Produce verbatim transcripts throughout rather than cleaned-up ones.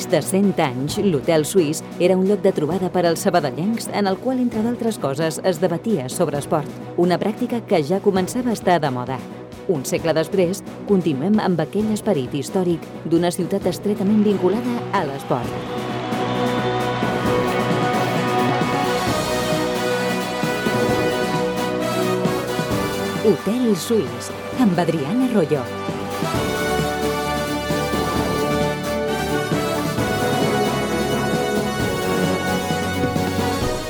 més de cent anys, l'Hotel Suís era un lloc de trobada per als sabadellencs en el qual, entre d'altres coses, es debatia sobre esport, una pràctica que ja començava a estar de moda. Un segle després, continuem amb aquell esperit històric d'una ciutat estretament vinculada a l'esport. Hotel Suís, amb Adriana Arroyo.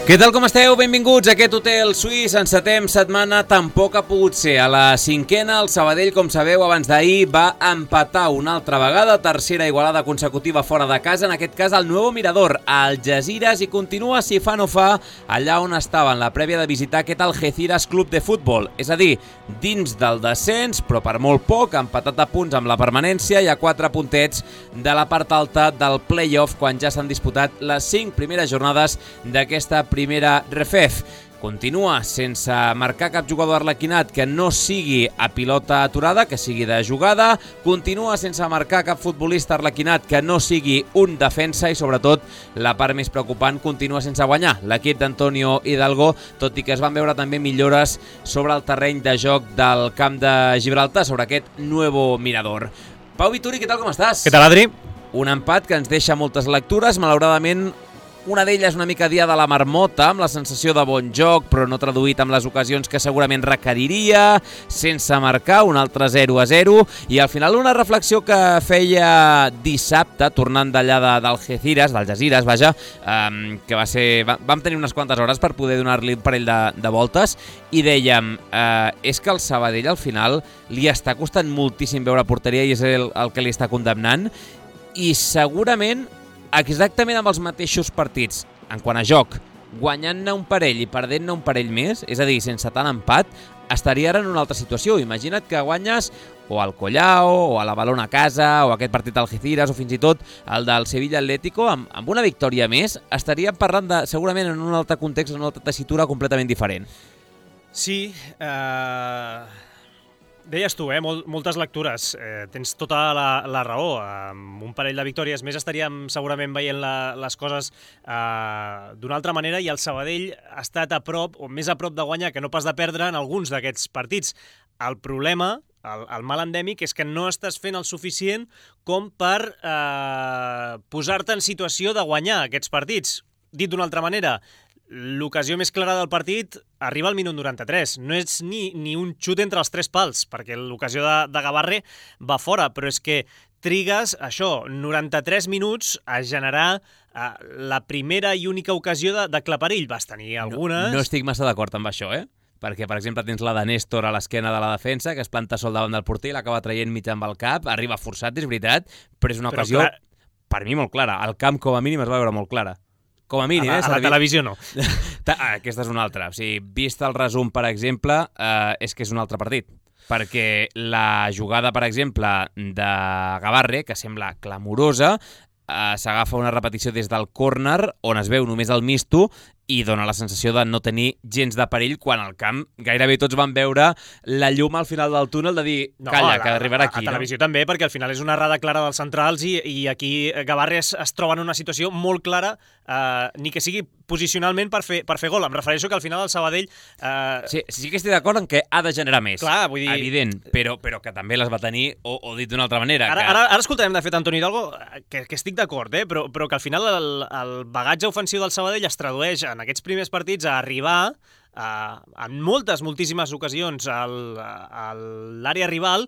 Què tal, com esteu? Benvinguts a aquest Hotel Suís. Encetem setmana, tampoc ha pogut ser. A la cinquena, el Sabadell, com sabeu, abans d'ahir va empatar una altra vegada, tercera igualada consecutiva fora de casa, en aquest cas el Nuevo Mirador, a Algesires, i continua, si fa no fa, allà on estava en la prèvia de visitar aquest Algeciras Club de Futbol. És a dir, dins del descens, però per molt poc, empatat a punts amb la permanència i a quatre puntets de la part alta del play-off, quan ja s'han disputat les cinc primeres jornades d'aquesta primera refef. Continua sense marcar cap jugador arlequinat que no sigui a pilota aturada, que sigui de jugada. Continua sense marcar cap futbolista arlequinat que no sigui un defensa i, sobretot, la part més preocupant, continua sense guanyar l'equip d'Antonio Hidalgo, tot i que es van veure també millores sobre el terreny de joc del camp de Gibraltar, sobre aquest Nuevo Mirador. Pau Vituri, què tal, com estàs? Què tal, Adri? Un empat que ens deixa moltes lectures, malauradament. Una d'elles una mica dia de la marmota, amb la sensació de bon joc, però no traduït amb les ocasions que segurament requeriria, sense marcar, un altre zero a zero, i al final una reflexió que feia dissabte, tornant d'allà d'Algeciras, d'Algesires, vaja, eh, que va ser... Vam tenir unes quantes hores per poder donar-li un parell de, de voltes, i dèiem, eh, és que el Sabadell al final li està costant moltíssim veure porteria i és el, el que li està condemnant, i segurament exactament amb els mateixos partits, en quant a joc, guanyant-ne un parell i perdent-ne un parell més, és a dir, sense tant empat, estaria ara en una altra situació. Imagina't que guanyes o al Collao, o a la Balona a casa, o aquest partit Algeciras, o fins i tot el del Sevilla Atlético, amb, amb una victòria més, estaríem parlant de, segurament en un altre context, en una altra tessitura completament diferent. Sí, eh... deies tu, eh? Mol, moltes lectures. Eh, tens tota la, la raó. Amb un parell de victòries més estaríem segurament veient la, les coses eh, d'una altra manera, i el Sabadell ha estat a prop, o més a prop de guanyar que no pas de perdre en alguns d'aquests partits. El problema, el, el mal endèmic, és que no estàs fent el suficient com per eh, posar-te en situació de guanyar aquests partits. Dit d'una altra manera, l'ocasió més clara del partit arriba al minut noranta-tres. No és ni, ni un xut entre els tres pals, perquè l'ocasió de, de Gavarre va fora, però és que trigues, això, noranta-tres minuts a generar eh, la primera i única ocasió de, de claperill. Vas tenir algunes... No, no estic massa d'acord amb això, eh? Perquè, per exemple, tens la de Néstor a l'esquena de la defensa, que es planta sol davant del porter i l'acaba traient mig amb el cap, arriba forçat, és veritat, però és una però ocasió, clar... per mi, molt clara. Al camp, com a mínim, es va veure molt clara. Com a mínim, a la, eh? A la televisió no. Aquesta és una altra. O sigui, vist el resum, per exemple, eh, és que és un altre partit. Perquè la jugada, per exemple, de Gavarre, que sembla clamorosa, eh, s'agafa una repetició des del córner, on es veu només el misto, i dona la sensació de no tenir gens de perill, quan al camp gairebé tots van veure la llum al final del túnel de dir, no, calla, la, que arribarà aquí. A, a televisió no? També, perquè al final és una errada clara dels centrals i, i aquí Gavarre es, es troba en una situació molt clara, eh, ni que sigui posicionalment per fer, per fer gol. Em refereixo que al final el Sabadell... Eh... Sí, sí que estic d'acord en que ha de generar més. Clar, vull dir... Evident, però, però que també les va tenir, o, o dit d'una altra manera. Ara, que... ara, ara escoltarem, de fet, Antoni Hidalgo, que, que estic d'acord, eh? però, però que al final el, el bagatge ofensiu del Sabadell es tradueix en aquests primers partits a arribar a, en moltes, moltíssimes ocasions al, a l'àrea rival,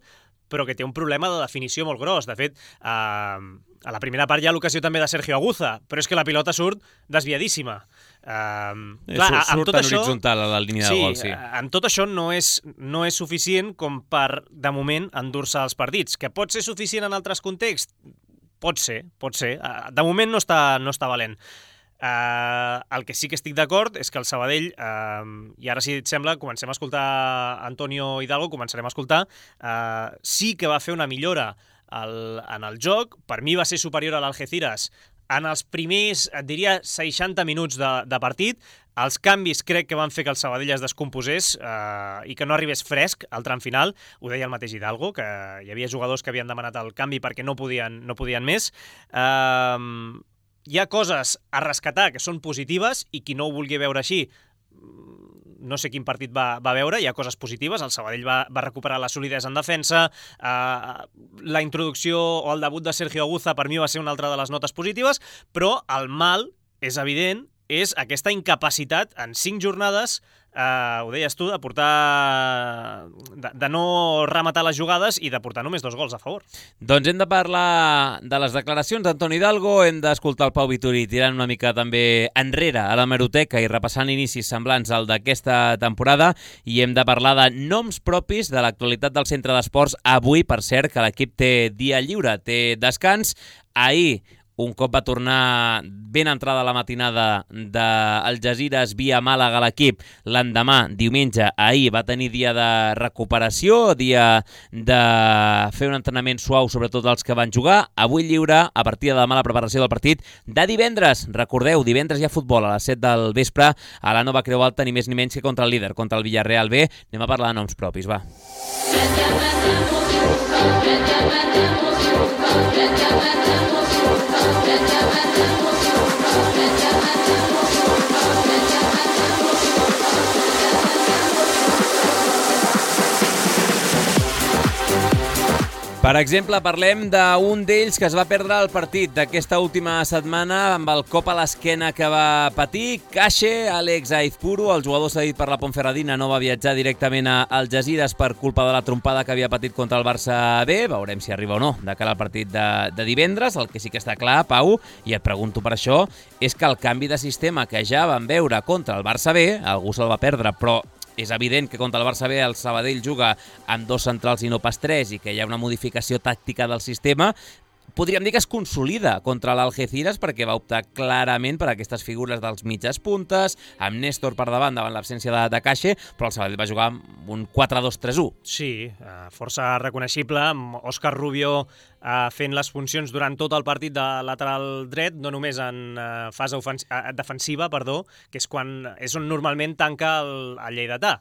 però que té un problema de definició molt gros. De fet, eh, a la primera part hi ha l'ocasió també de Sergio Aguza, però és que la pilota surt desviadíssima. Eh, clar, surt amb tot en això, horitzontal a la línia sí, de gol, sí. Amb tot això no és, no és suficient com per, de moment, endur-se els partits. Que pot ser suficient en altres contexts? Pot ser, pot ser. De moment no està, no està valent. Uh, el que sí que estic d'acord és que el Sabadell, uh, i ara si et sembla, comencem a escoltar Antonio Hidalgo, començarem a escoltar, uh, sí que va fer una millora al, en el joc. Per mi va ser superior a l'Algeciras en els primers, et diria, seixanta minuts de, de partit. Els canvis crec que van fer que el Sabadell es descomposés eh, i que no arribés fresc al tram final. Ho deia el mateix Hidalgo, que hi havia jugadors que havien demanat el canvi perquè no podien, no podien més. Eh, hi ha coses a rescatar que són positives i qui no ho vulgui veure així, no sé quin partit va, va veure, hi ha coses positives, el Sabadell va, va recuperar la solidesa en defensa, eh, la introducció o el debut de Sergio Aguza per mi va ser una altra de les notes positives, però el mal, és evident, és aquesta incapacitat en cinc jornades, eh, ho deies tu, de portar... De, de no rematar les jugades i de portar només dos gols a favor. Doncs hem de parlar de les declaracions d'Antoni Hidalgo, hem d'escoltar el Pau Vituri tirant una mica també enrere a la meroteca i repassant inicis semblants al d'aquesta temporada, i hem de parlar de noms propis de l'actualitat del centre d'esports. Avui, per cert, que l'equip té dia lliure, té descans. Ahir, un cop va tornar ben entrada la matinada d'Algesires via Màlaga a l'equip, l'endemà, diumenge, ahir, va tenir dia de recuperació, dia de fer un entrenament suau, sobretot els que van jugar. Avui lliure, a partir de demà la preparació del partit de divendres. Recordeu, divendres hi ha futbol a les set del vespre a la Nova Creu Alta, ni més ni menys que contra el líder, contra el Villarreal B. Anem a parlar de noms propis, va. Per exemple, parlem d'un d'ells que es va perdre el partit d'aquesta última setmana amb el cop a l'esquena que va patir. Cache, Àlex Aizpuru, el jugador cedit per la Ponferradina, no va viatjar directament a Algesires per culpa de la trompada que havia patit contra el Barça B. Veurem si arriba o no de cara al partit de, de divendres. El que sí que està clar, Pau, i et pregunto per això, és que el canvi de sistema que ja vam veure contra el Barça B, algú se'l va perdre, però és evident que contra el Barça B el Sabadell juga amb dos centrals i no pas tres i que hi ha una modificació tàctica del sistema. Podríem dir que es consolida contra l'Algeciras perquè va optar clarament per aquestes figures dels mitges puntes, amb Néstor per davant davant l'absència de, de Cache, però el Sabadell va jugar amb un quatre dos tres u. Sí, força reconeixible, amb Òscar Rubio fent les funcions durant tot el partit de lateral dret, no només en fase defensiva, perdó, que és quan és on normalment tanca el, el lleidatà.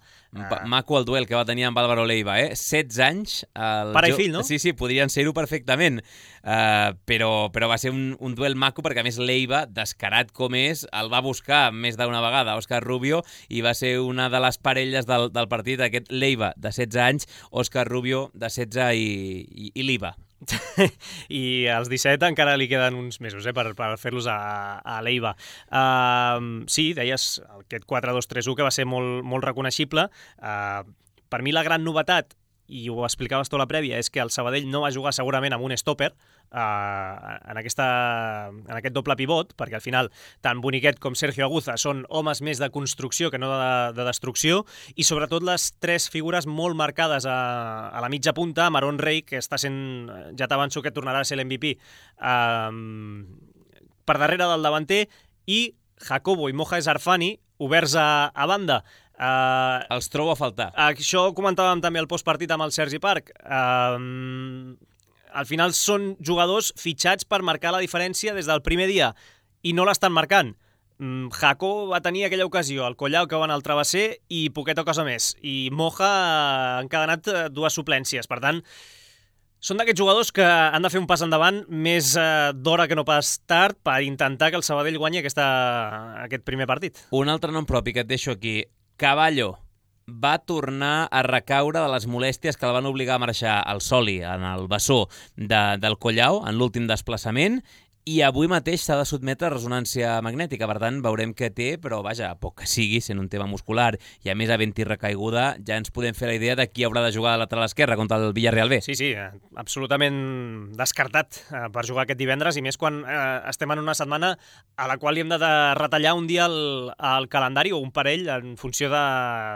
Maco el duel que va tenir amb Álvaro Leiva, eh? setze anys. El Pare i fill, no? Sí, sí, podrien ser-ho perfectament. Uh, però, però va ser un, un duel maco perquè, a més, Leiva, descarat com és, el va buscar més d'una vegada Òscar Rubio i va ser una de les parelles del, del partit, aquest Leiva de setze anys, Òscar Rubio de setze i, i, i Liva. I als disset encara li queden uns mesos eh, per, per fer-los a, a l'Eiva. Uh, sí, deies aquest quatre dos tres u que va ser molt, molt reconeixible. Uh, per mi la gran novetat, i ho explicaves tu a la prèvia, és que el Sabadell no va jugar segurament amb un stopper uh, en, aquesta, en aquest doble pivot, perquè al final tant Boniquet com Sergio Aguza són homes més de construcció que no de, de destrucció, i sobretot les tres figures molt marcades a, a la mitja punta, Marón Rey, que està sent, ja t'avanço que tornarà a ser l'M V P, uh, per darrere del davanter, i Jacobo i Moja Zarfani oberts a, a banda. Uh, Els trobo a faltar. Això ho comentàvem també al postpartit amb el Sergi Parc. Uh, al final són jugadors fitxats per marcar la diferència des del primer dia i no l'estan marcant. Um, Jaco va tenir aquella ocasió, el Collau que va anar al travesser i poqueta cosa més. I Moja ha encadenat dues suplències. Per tant, són d'aquests jugadors que han de fer un pas endavant més eh, d'hora que no pas tard per intentar que el Sabadell guanyi aquesta, aquest primer partit. Un altre nom propi que et deixo aquí, Caballo, va tornar a recaure de les molèsties que el van obligar a marxar al Soli, en el bessó de, del Collau, en l'últim desplaçament, i avui mateix s'ha de sotmetre a resonància magnètica. Per tant, veurem què té, però vaja, poc que sigui, sent un tema muscular i a més havent-hi recaiguda, ja ens podem fer la idea de qui haurà de jugar a lateral esquerra contra el Villarreal B. Sí, sí, absolutament descartat per jugar aquest divendres, i més quan eh, estem en una setmana a la qual li hem de, de retallar un dia el, el calendari o un parell en funció de,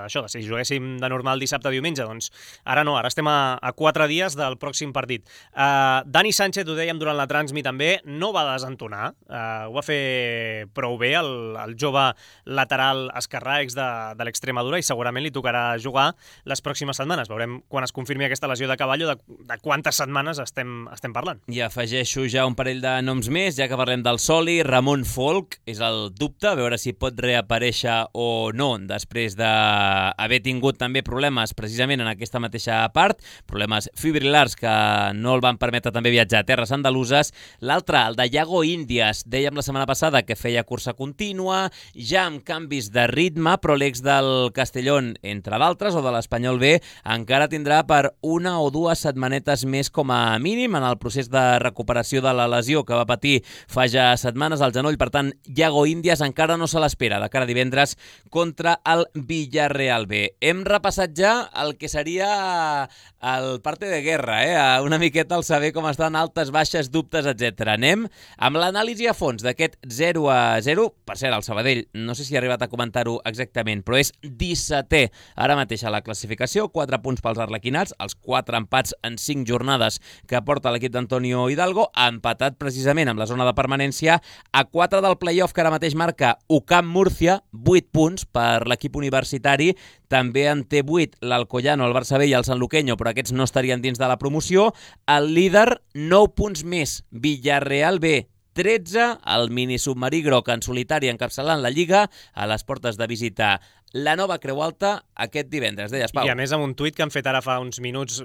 això, de si juguéssim de normal dissabte o diumenge. Doncs ara no, ara estem a, a quatre dies del pròxim partit. Uh, Dani Sánchez, ho dèiem durant la transmi també, no va desentonar, uh, ho va fer prou bé el, el jove lateral esquerrà ex de, de l'Extremadura i segurament li tocarà jugar les pròximes setmanes. Veurem quan es confirmi aquesta lesió de Caballo de, de quantes setmanes estem, estem parlant. I afegeixo ja un parell de noms més, ja que parlem del Soli. Ramon Folk és el dubte, a veure si pot reaparèixer o no, després d'haver tingut també problemes precisament en aquesta mateixa part, problemes fibrilars que no el van permetre també viatjar a terres andaluses. L'altre, el de Iago Índias, dèiem la setmana passada que feia cursa contínua, ja amb canvis de ritme, però l'ex del Castellón, entre d'altres, o de l'Espanyol B, encara tindrà per una o dues setmanetes més com a mínim en el procés de recuperació de la lesió que va patir fa ja setmanes al genoll. Per tant, Iago Índias encara no se l'espera de cara a divendres contra el Villarreal B. Hem repassat ja el que seria el parte de guerra, eh? Una miqueta el saber com estan altes, baixes, dubtes, etcètera. Anem amb l'anàlisi a fons d'aquest zero a zero. Per cert, el Sabadell, no sé si ha arribat a comentar-ho exactament, però és dissetè ara mateix a la classificació, quatre punts pels arlequinats, els quatre empats en cinc jornades que porta l'equip d'Antonio Hidalgo, empatat precisament amb la zona de permanència a quatre del play-off que ara mateix marca U C A M Múrcia, vuit punts per l'equip universitari. També en té vuit l'Alcoyano, el Barça B i el Sanluqueño, però aquests no estarien dins de la promoció. El líder, nou punts més, Villarreal B, tretze, el mini submarí groc en solitari encapçalant la Lliga a les portes de visitar la Nova Creu Alta aquest divendres. Deies, Pau. I a més amb un tuit que han fet ara fa uns minuts,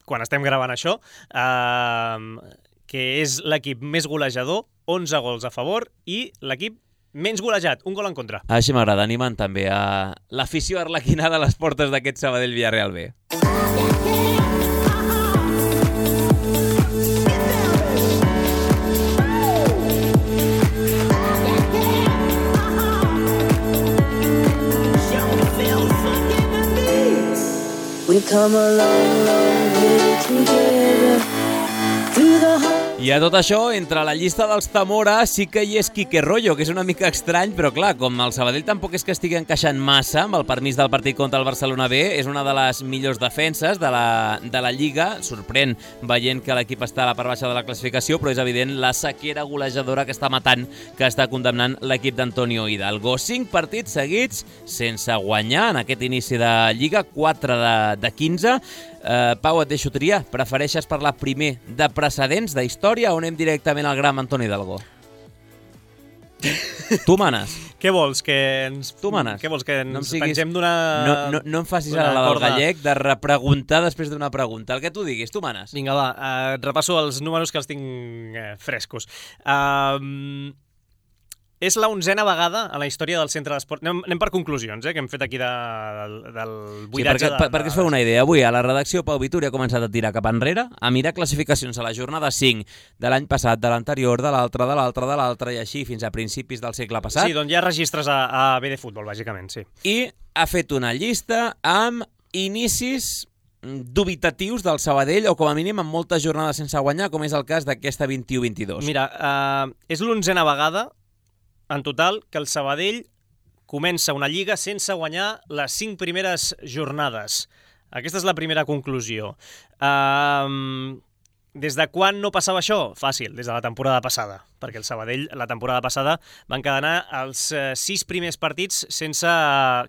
quan estem gravant això, eh, que és l'equip més golejador, onze gols a favor, i l'equip menys golejat, un gol en contra. Així m'agrada, animant també a l'afició arlequinada a les portes d'aquest Sabadell Villarreal B. We come a long, long way together through the heart. I a tot això, entre la llista dels Zamora sí que hi és Quique Rollo, que és una mica estrany, però clar, com el Sabadell tampoc és que estigui encaixant massa amb el permís del partit contra el Barcelona B, és una de les millors defenses de la, de la Lliga, sorprèn veient que l'equip està a la part baixa de la classificació, però és evident la sequera golejadora que està matant, que està condemnant l'equip d'Antonio Hidalgo. Cinc partits seguits sense guanyar en aquest inici de Lliga, quatre de, de quinze. Uh, Pau, et deixo triar. Prefereixes parlar primer de precedents, d'història, o anem directament al gran Antoni Hidalgo? Tu manes. Què vols? Que ens, tu manes. Què vols? Que ens no em siguis, pengem d'una... No, no, no em facis ara la del gallec de repreguntar després d'una pregunta. El que tu diguis, tu manes. Vinga, va, uh, repasso els números que els tinc uh, frescos. Uh, És la onzena vegada a la història del centre d'esport. Anem, anem per conclusions, eh, que hem fet aquí de, del buidatge. Sí, perquè, de, perquè es feu una idea. Avui a la redacció Pau Vituri ha començat a tirar cap enrere, a mirar classificacions a la jornada cinc de l'any passat, de l'anterior, de l'altre, de l'altre, de l'altre, i així fins a principis del segle passat. Sí, doncs hi ha registres a, a B de futbol, bàsicament, sí. I ha fet una llista amb inicis dubitatius del Sabadell, o com a mínim amb moltes jornades sense guanyar, com és el cas d'aquesta vint-i-u vint-i-dos. Mira, uh, és l'onzena vegada en total que el Sabadell comença una lliga sense guanyar les cinc primeres jornades. Aquesta és la primera conclusió. Uh, des de quan no passava això? Fàcil, des de la temporada passada, perquè el Sabadell la temporada passada va encadenar els uh, sis primers partits sense,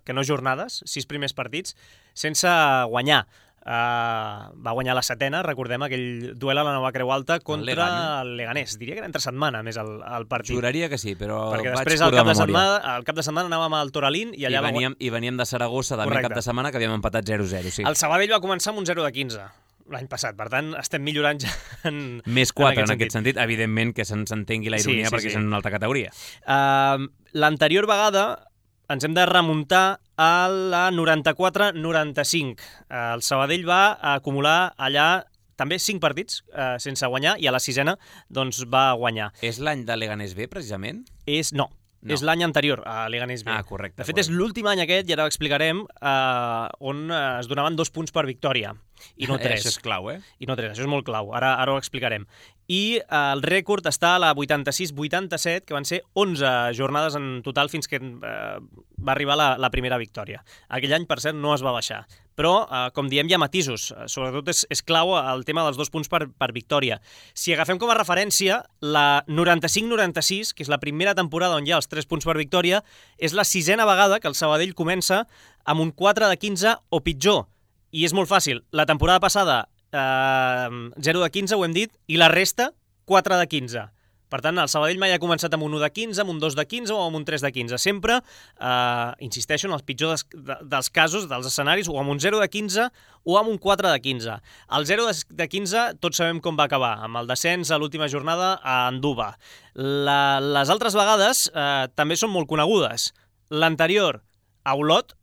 que no jornades, sis primers partits sense guanyar. Uh, va guanyar la setena, recordem aquell duel a la Nova Creu Alta contra el Leganés. Diria que era entre setmana més el, el partit. Juraria que sí, però perquè vaig després al cap cap, de setmana, al cap de setmana anàvem al Toralín i allà I veníem, va... i veníem de Saragossa també Correcte. Cap de setmana que havíem empatat zero zero. Sí. El Sabadell va començar amb un zero de quinze l'any passat, per tant estem millorant ja en, més quatre en, en aquest sentit, evidentment que se'ns entengui la ironia sí, sí, perquè sí. És en una altra categoria. Uh, L'anterior vegada ens hem de remuntar a la noranta-quatre noranta-cinc. El Sabadell va acumular allà també cinc partits eh, sense guanyar i a la sisena doncs, va guanyar. És l'any de Leganés B, precisament? És, no, no. És l'any anterior a Leganés B. Ah, correcte. De fet, correcte. És l'últim any aquest, i ara ho explicarem, eh, on es donaven dos punts per victòria. i no tres. Això és clau, eh? I no tres, això és molt clau, ara, ara ho explicarem. I eh, el rècord està a la vuitanta-sis vuitanta-set, que van ser onze jornades en total fins que eh, va arribar la, la primera victòria. Aquell any, per cert, no es va baixar. Però, eh, com diem, hi ha matisos. Sobretot és, és clau el tema dels dos punts per, per victòria. Si agafem com a referència la noranta-cinc noranta-sis, que és la primera temporada on hi ha els tres punts per victòria, és la sisena vegada que el Sabadell comença amb un quatre de quinze o pitjor. I és molt fàcil. La temporada passada, eh, zero de quinze, ho hem dit, i la resta, quatre de quinze. Per tant, el Sabadell mai ha començat amb un u de quinze, amb un dos de quinze o amb un tres de quinze. Sempre, eh, insisteixo, en els pitjors dels, dels casos, dels escenaris, o amb un zero de quinze o amb un quatre de quinze. El zero de quinze tots sabem com va acabar, amb el descens a l'última jornada a Anduba. La, les altres vegades eh, també són molt conegudes. L'anterior, a Olot,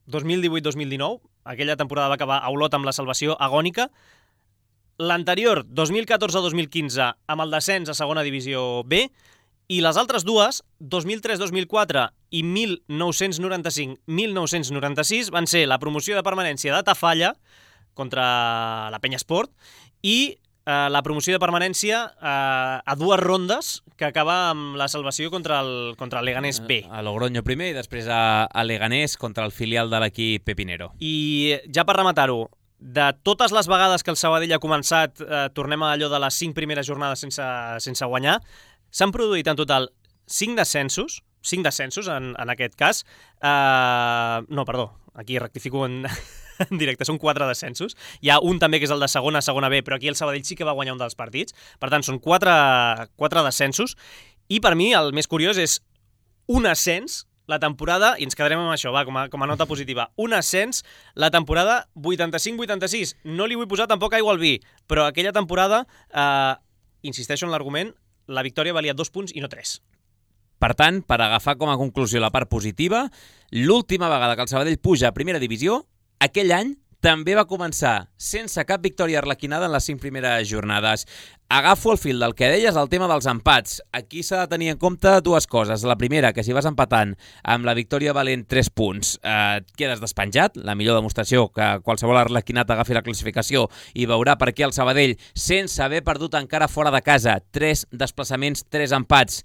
dos mil divuit dos mil dinou, aquella temporada va acabar a Olot amb la salvació agònica. L'anterior, dos mil catorze dos mil quinze, amb el descens a segona divisió B, i les altres dues, dos mil tres dos mil quatre i mil nou-cents noranta-cinc mil nou-cents noranta-sis, van ser la promoció de permanència de Tafalla contra la Penya Esport i eh, la promoció de permanència eh, a dues rondes que acaba amb la salvació contra el, contra el Leganés B. A Logroño primer i després a, a Leganés contra el filial de l'equip Pepinero. I ja per rematar-ho, de totes les vegades que el Sabadell ha començat, eh, tornem a allò de les cinc primeres jornades sense, sense guanyar, s'han produït en total cinc descensos, cinc descensos en, en aquest cas. Eh, no, perdó, aquí rectifico en, en directe, són quatre descensos. Hi ha un també que és el de segona a segona B, però aquí el Sabadell sí que va guanyar un dels partits. Per tant, són quatre, quatre descensos. I per mi el més curiós és un ascens la temporada, i ens quedarem amb això, va, com a, com a nota positiva, un ascens, la temporada vuitanta-cinc vuitanta-sis. No li vull posar tampoc aigua al vi, però aquella temporada, eh, insisteixo en l'argument, la victòria valia dos punts i no tres. Per tant, per agafar com a conclusió la part positiva, l'última vegada que el Sabadell puja a primera divisió, aquell any també va començar sense cap victòria arlequinada en les cinc primeres jornades. Agafo el fil del que deies, el tema dels empats. Aquí s'ha de tenir en compte dues coses. La primera, que si vas empatant amb la victòria valent tres punts, eh, quedes despenjat, la millor demostració que qualsevol arlequinat agafi la classificació i veurà per què el Sabadell, sense haver perdut encara fora de casa, tres desplaçaments, tres empats,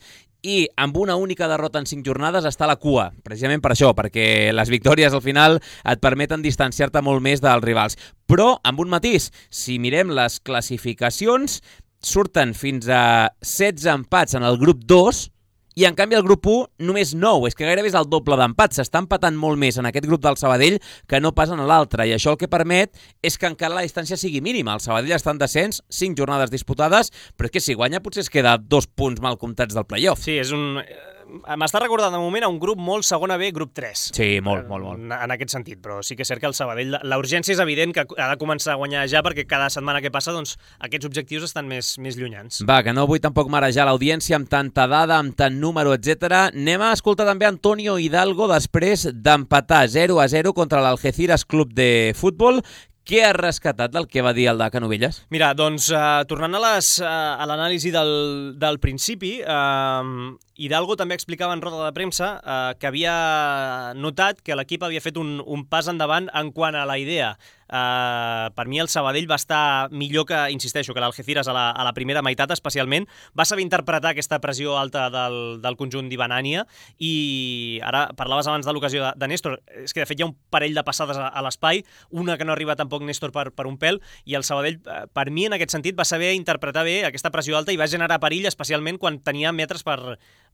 i amb una única derrota en cinc jornades està a la cua, precisament per això, perquè les victòries al final et permeten distanciar-te molt més dels rivals. Però, amb un matís, si mirem les classificacions, surten fins a setze empats en el grup dos, i en canvi el grup u només nou, és que gairebé és el doble d'empats, s'està empatant molt més en aquest grup del Sabadell que no pas en l'altre, i això el que permet és que encara la distància sigui mínima. El Sabadell està en descens, cinc jornades disputades, però és que si guanya potser es queda dos punts mal comptats del playoff. Sí, és un... M'està recordant de moment a un grup molt segona B, grup tres. Sí, molt, molt, molt. En aquest sentit, però sí que és cert que el Sabadell, la urgència és evident que ha de començar a guanyar ja, perquè cada setmana que passa, doncs, aquests objectius estan més, més llunyans. Va, que no vull tampoc marejar l'audiència amb tanta dada, amb tant número, etcètera. Anem a escoltar també Antonio Hidalgo després d'empatar zero a zero contra l'Algeciras Club de Futbol. Què has rescatat del que va dir el de Canovelles? Mira, doncs, uh, tornant a les, uh, a l'anàlisi del, del principi, uh, Hidalgo també explicava en roda de premsa uh, que havia notat que l'equip havia fet un, un pas endavant en quant a la idea. Uh, per mi el Sabadell va estar millor que, insisteixo, que l'Algeciras a, la, a la primera meitat especialment. Va saber interpretar aquesta pressió alta del, del conjunt d'Ibanània, i ara parlaves abans de l'ocasió de, de Néstor. És que de fet hi ha un parell de passades a, a l'espai, una que no arriba tampoc Néstor per, per un pèl, i el Sabadell, per mi en aquest sentit, va saber interpretar bé aquesta pressió alta i va generar perill, especialment quan tenia metres per,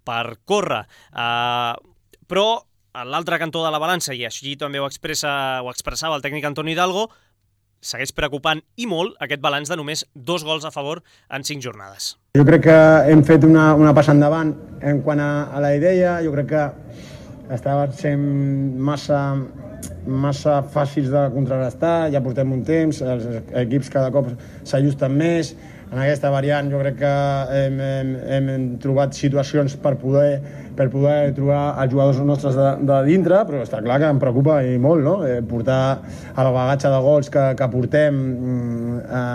per córrer. Uh, però a l'altre cantó de la balança, i així també ho, expressa, ho expressava el tècnic Antonio Hidalgo, segueix preocupant i molt aquest balanç de només dos gols a favor en cinc jornades. Jo crec que hem fet una, una passa endavant en quant a, a la idea. Jo crec que estava sent massa, massa fàcils de contrarrestar, ja portem un temps, els equips cada cop s'ajusten més. En aquesta variant jo crec que hem, hem, hem trobat situacions per poder, per poder trobar els jugadors nostres de, de dintre, però està clar que em preocupa i molt, no? Eh, portar el bagatge de gols que, que portem a,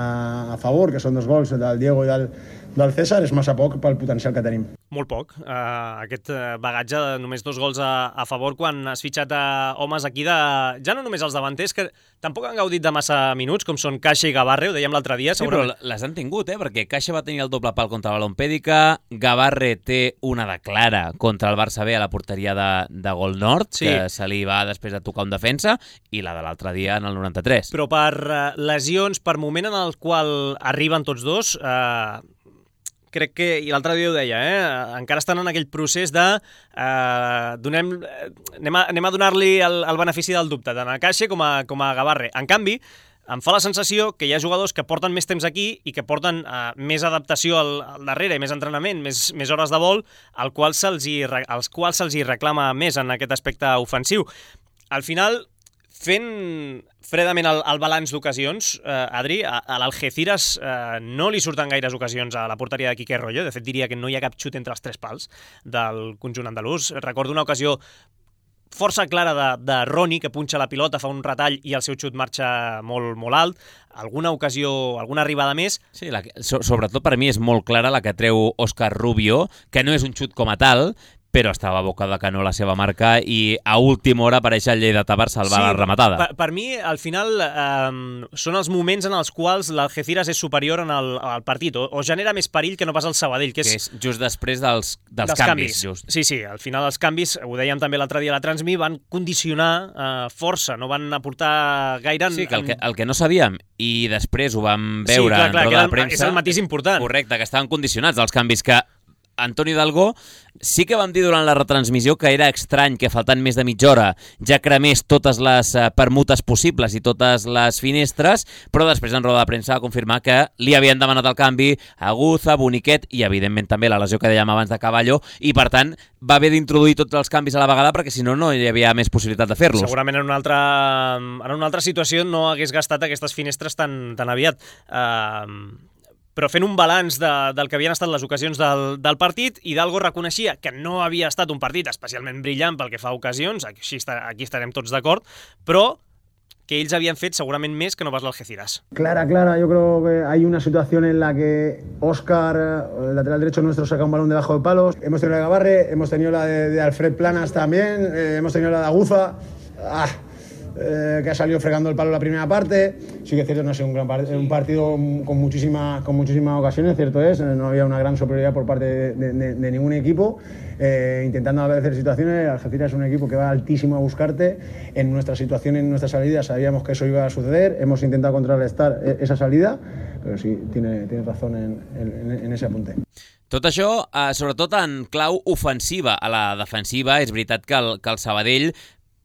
a favor, que són dos gols del Diego i del, del César, és massa poc pel potencial que tenim. Molt poc. Uh, aquest bagatge de només dos gols a, a favor quan has fitxat a homes aquí de... Ja no només els davanters, que tampoc han gaudit de massa minuts, com són Caixa i Gavarre, ho dèiem l'altre dia. Sí, segurament. Però les han tingut, eh? Perquè Caixa va tenir el doble pal contra la Lompèdica, Gavarre té una de clara contra el Barça B a la porteria de, de Gol Nord, sí. que se li va després de tocar un defensa, i la de l'altre dia en el noranta-tres. Però per uh, lesions, per moment en el qual arriben tots dos... Uh... crec que, i l'altre dia ho deia, eh? encara estan en aquell procés de eh, donem, anem a, anem a donar-li el, el benefici del dubte, tant a Caixa com a, com a Gavarre. En canvi, em fa la sensació que hi ha jugadors que porten més temps aquí i que porten eh, més adaptació al, al darrere, més entrenament, més, més hores de vol, al qual se'ls hi, als quals se'ls hi reclama més en aquest aspecte ofensiu. Al final, fent fredament el, el balanç d'ocasions, eh, Adri, a, a l'Algeciras eh, no li surten gaires ocasions a la porteria de Quique Royo. De fet, diria que no hi ha cap xut entre els tres pals del conjunt andalús. Recordo una ocasió força clara de, de Roni, que punxa la pilota, fa un retall i el seu xut marxa molt, molt alt. Alguna ocasió, alguna arribada més. Sí, la, so, sobretot per mi és molt clara la que treu Òscar Rubio, que no és un xut com a tal, però estava a boca de canó la seva marca i a última hora apareix el Lleidatà per salvar sí, la rematada. Per, per mi, al final, eh, són els moments en els quals l'Algeciras és superior en el, al partit, o, o genera més perill que no pas el Sabadell, que és... Que és just després dels, dels, dels canvis. canvis. Just. Sí, sí, al final els canvis, ho dèiem també l'altre dia a la Transmi, van condicionar eh, força, no van aportar gaire... En, sí, que el, que el que no sabíem, i després ho vam veure sí, clar, clar, en roda de premsa... És el matís important. Correcte, que estaven condicionats els canvis que... Antoni Hidalgo sí que vam dir durant la retransmissió que era estrany que faltant més de mitja hora ja cremés totes les permutes possibles i totes les finestres, però després en roda de premsa va confirmar que li havien demanat el canvi a Aguza, Boniquet i evidentment també la lesió que dèiem abans de Caballo, i per tant va haver d'introduir tots els canvis a la vegada perquè si no no hi havia més possibilitat de fer-los. Segurament en una altra, en una altra situació no hagués gastat aquestes finestres tan, tan aviat. Uh... Però fent un balanç de, del que havien estat les ocasions del, del partit, Hidalgo reconeixia que no havia estat un partit especialment brillant pel que fa a ocasions, aquí, està, aquí estarem tots d'acord, però que ells havien fet segurament més que no pas l'Algeciras. Clara, clara, yo creo que hay una situación en la que Óscar, el lateral derecho nuestro, saca un balón debajo de palos. Hemos tenido la de Gavarre, hemos tenido la de, de Alfred Planas también, eh, hemos tenido la de Aguza. Ah. Eh, que ha salido fregando el palo la primera parte. Sí que es cierto, no ha sido un, gran part un partido con, muchísima, con muchísimas ocasiones, cierto es, no había una gran superioridad por parte de, de, de ningún equipo, eh, intentando hacer situaciones. Algeciras es un equipo que va altísimo a buscarte. En nuestra situación, en nuestra salida, sabíamos que eso iba a suceder, hemos intentado contrarrestar esa salida, però sí, tiene, tiene razón en, en, en ese apunte. Tot això, eh, sobretot en clau ofensiva. A la defensiva és veritat que el, que el Sabadell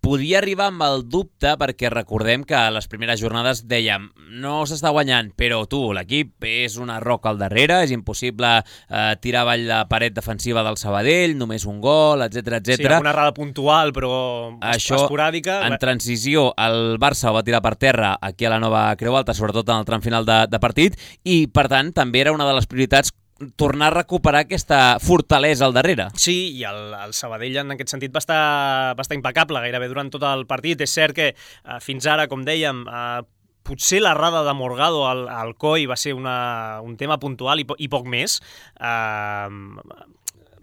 podia arribar amb el dubte, perquè recordem que a les primeres jornades dèiem no s'està guanyant, però tu, l'equip és una roca al darrere, és impossible eh, tirar avall la paret defensiva del Sabadell, només un gol, etcètera, etcètera. Sí, una errada puntual, però això, esporàdica. En transició, el Barça ho va tirar per terra aquí a la nova Creu Alta, sobretot en el tram final de, de partit, i per tant també era una de les prioritats tornar a recuperar aquesta fortalesa al darrere. Sí, i el, el Sabadell en aquest sentit va estar, va estar impecable gairebé durant tot el partit. És cert que eh, fins ara, com dèiem, eh, potser l'errada de Morgado al, al Coi va ser una, un tema puntual i, po i poc més. Eh,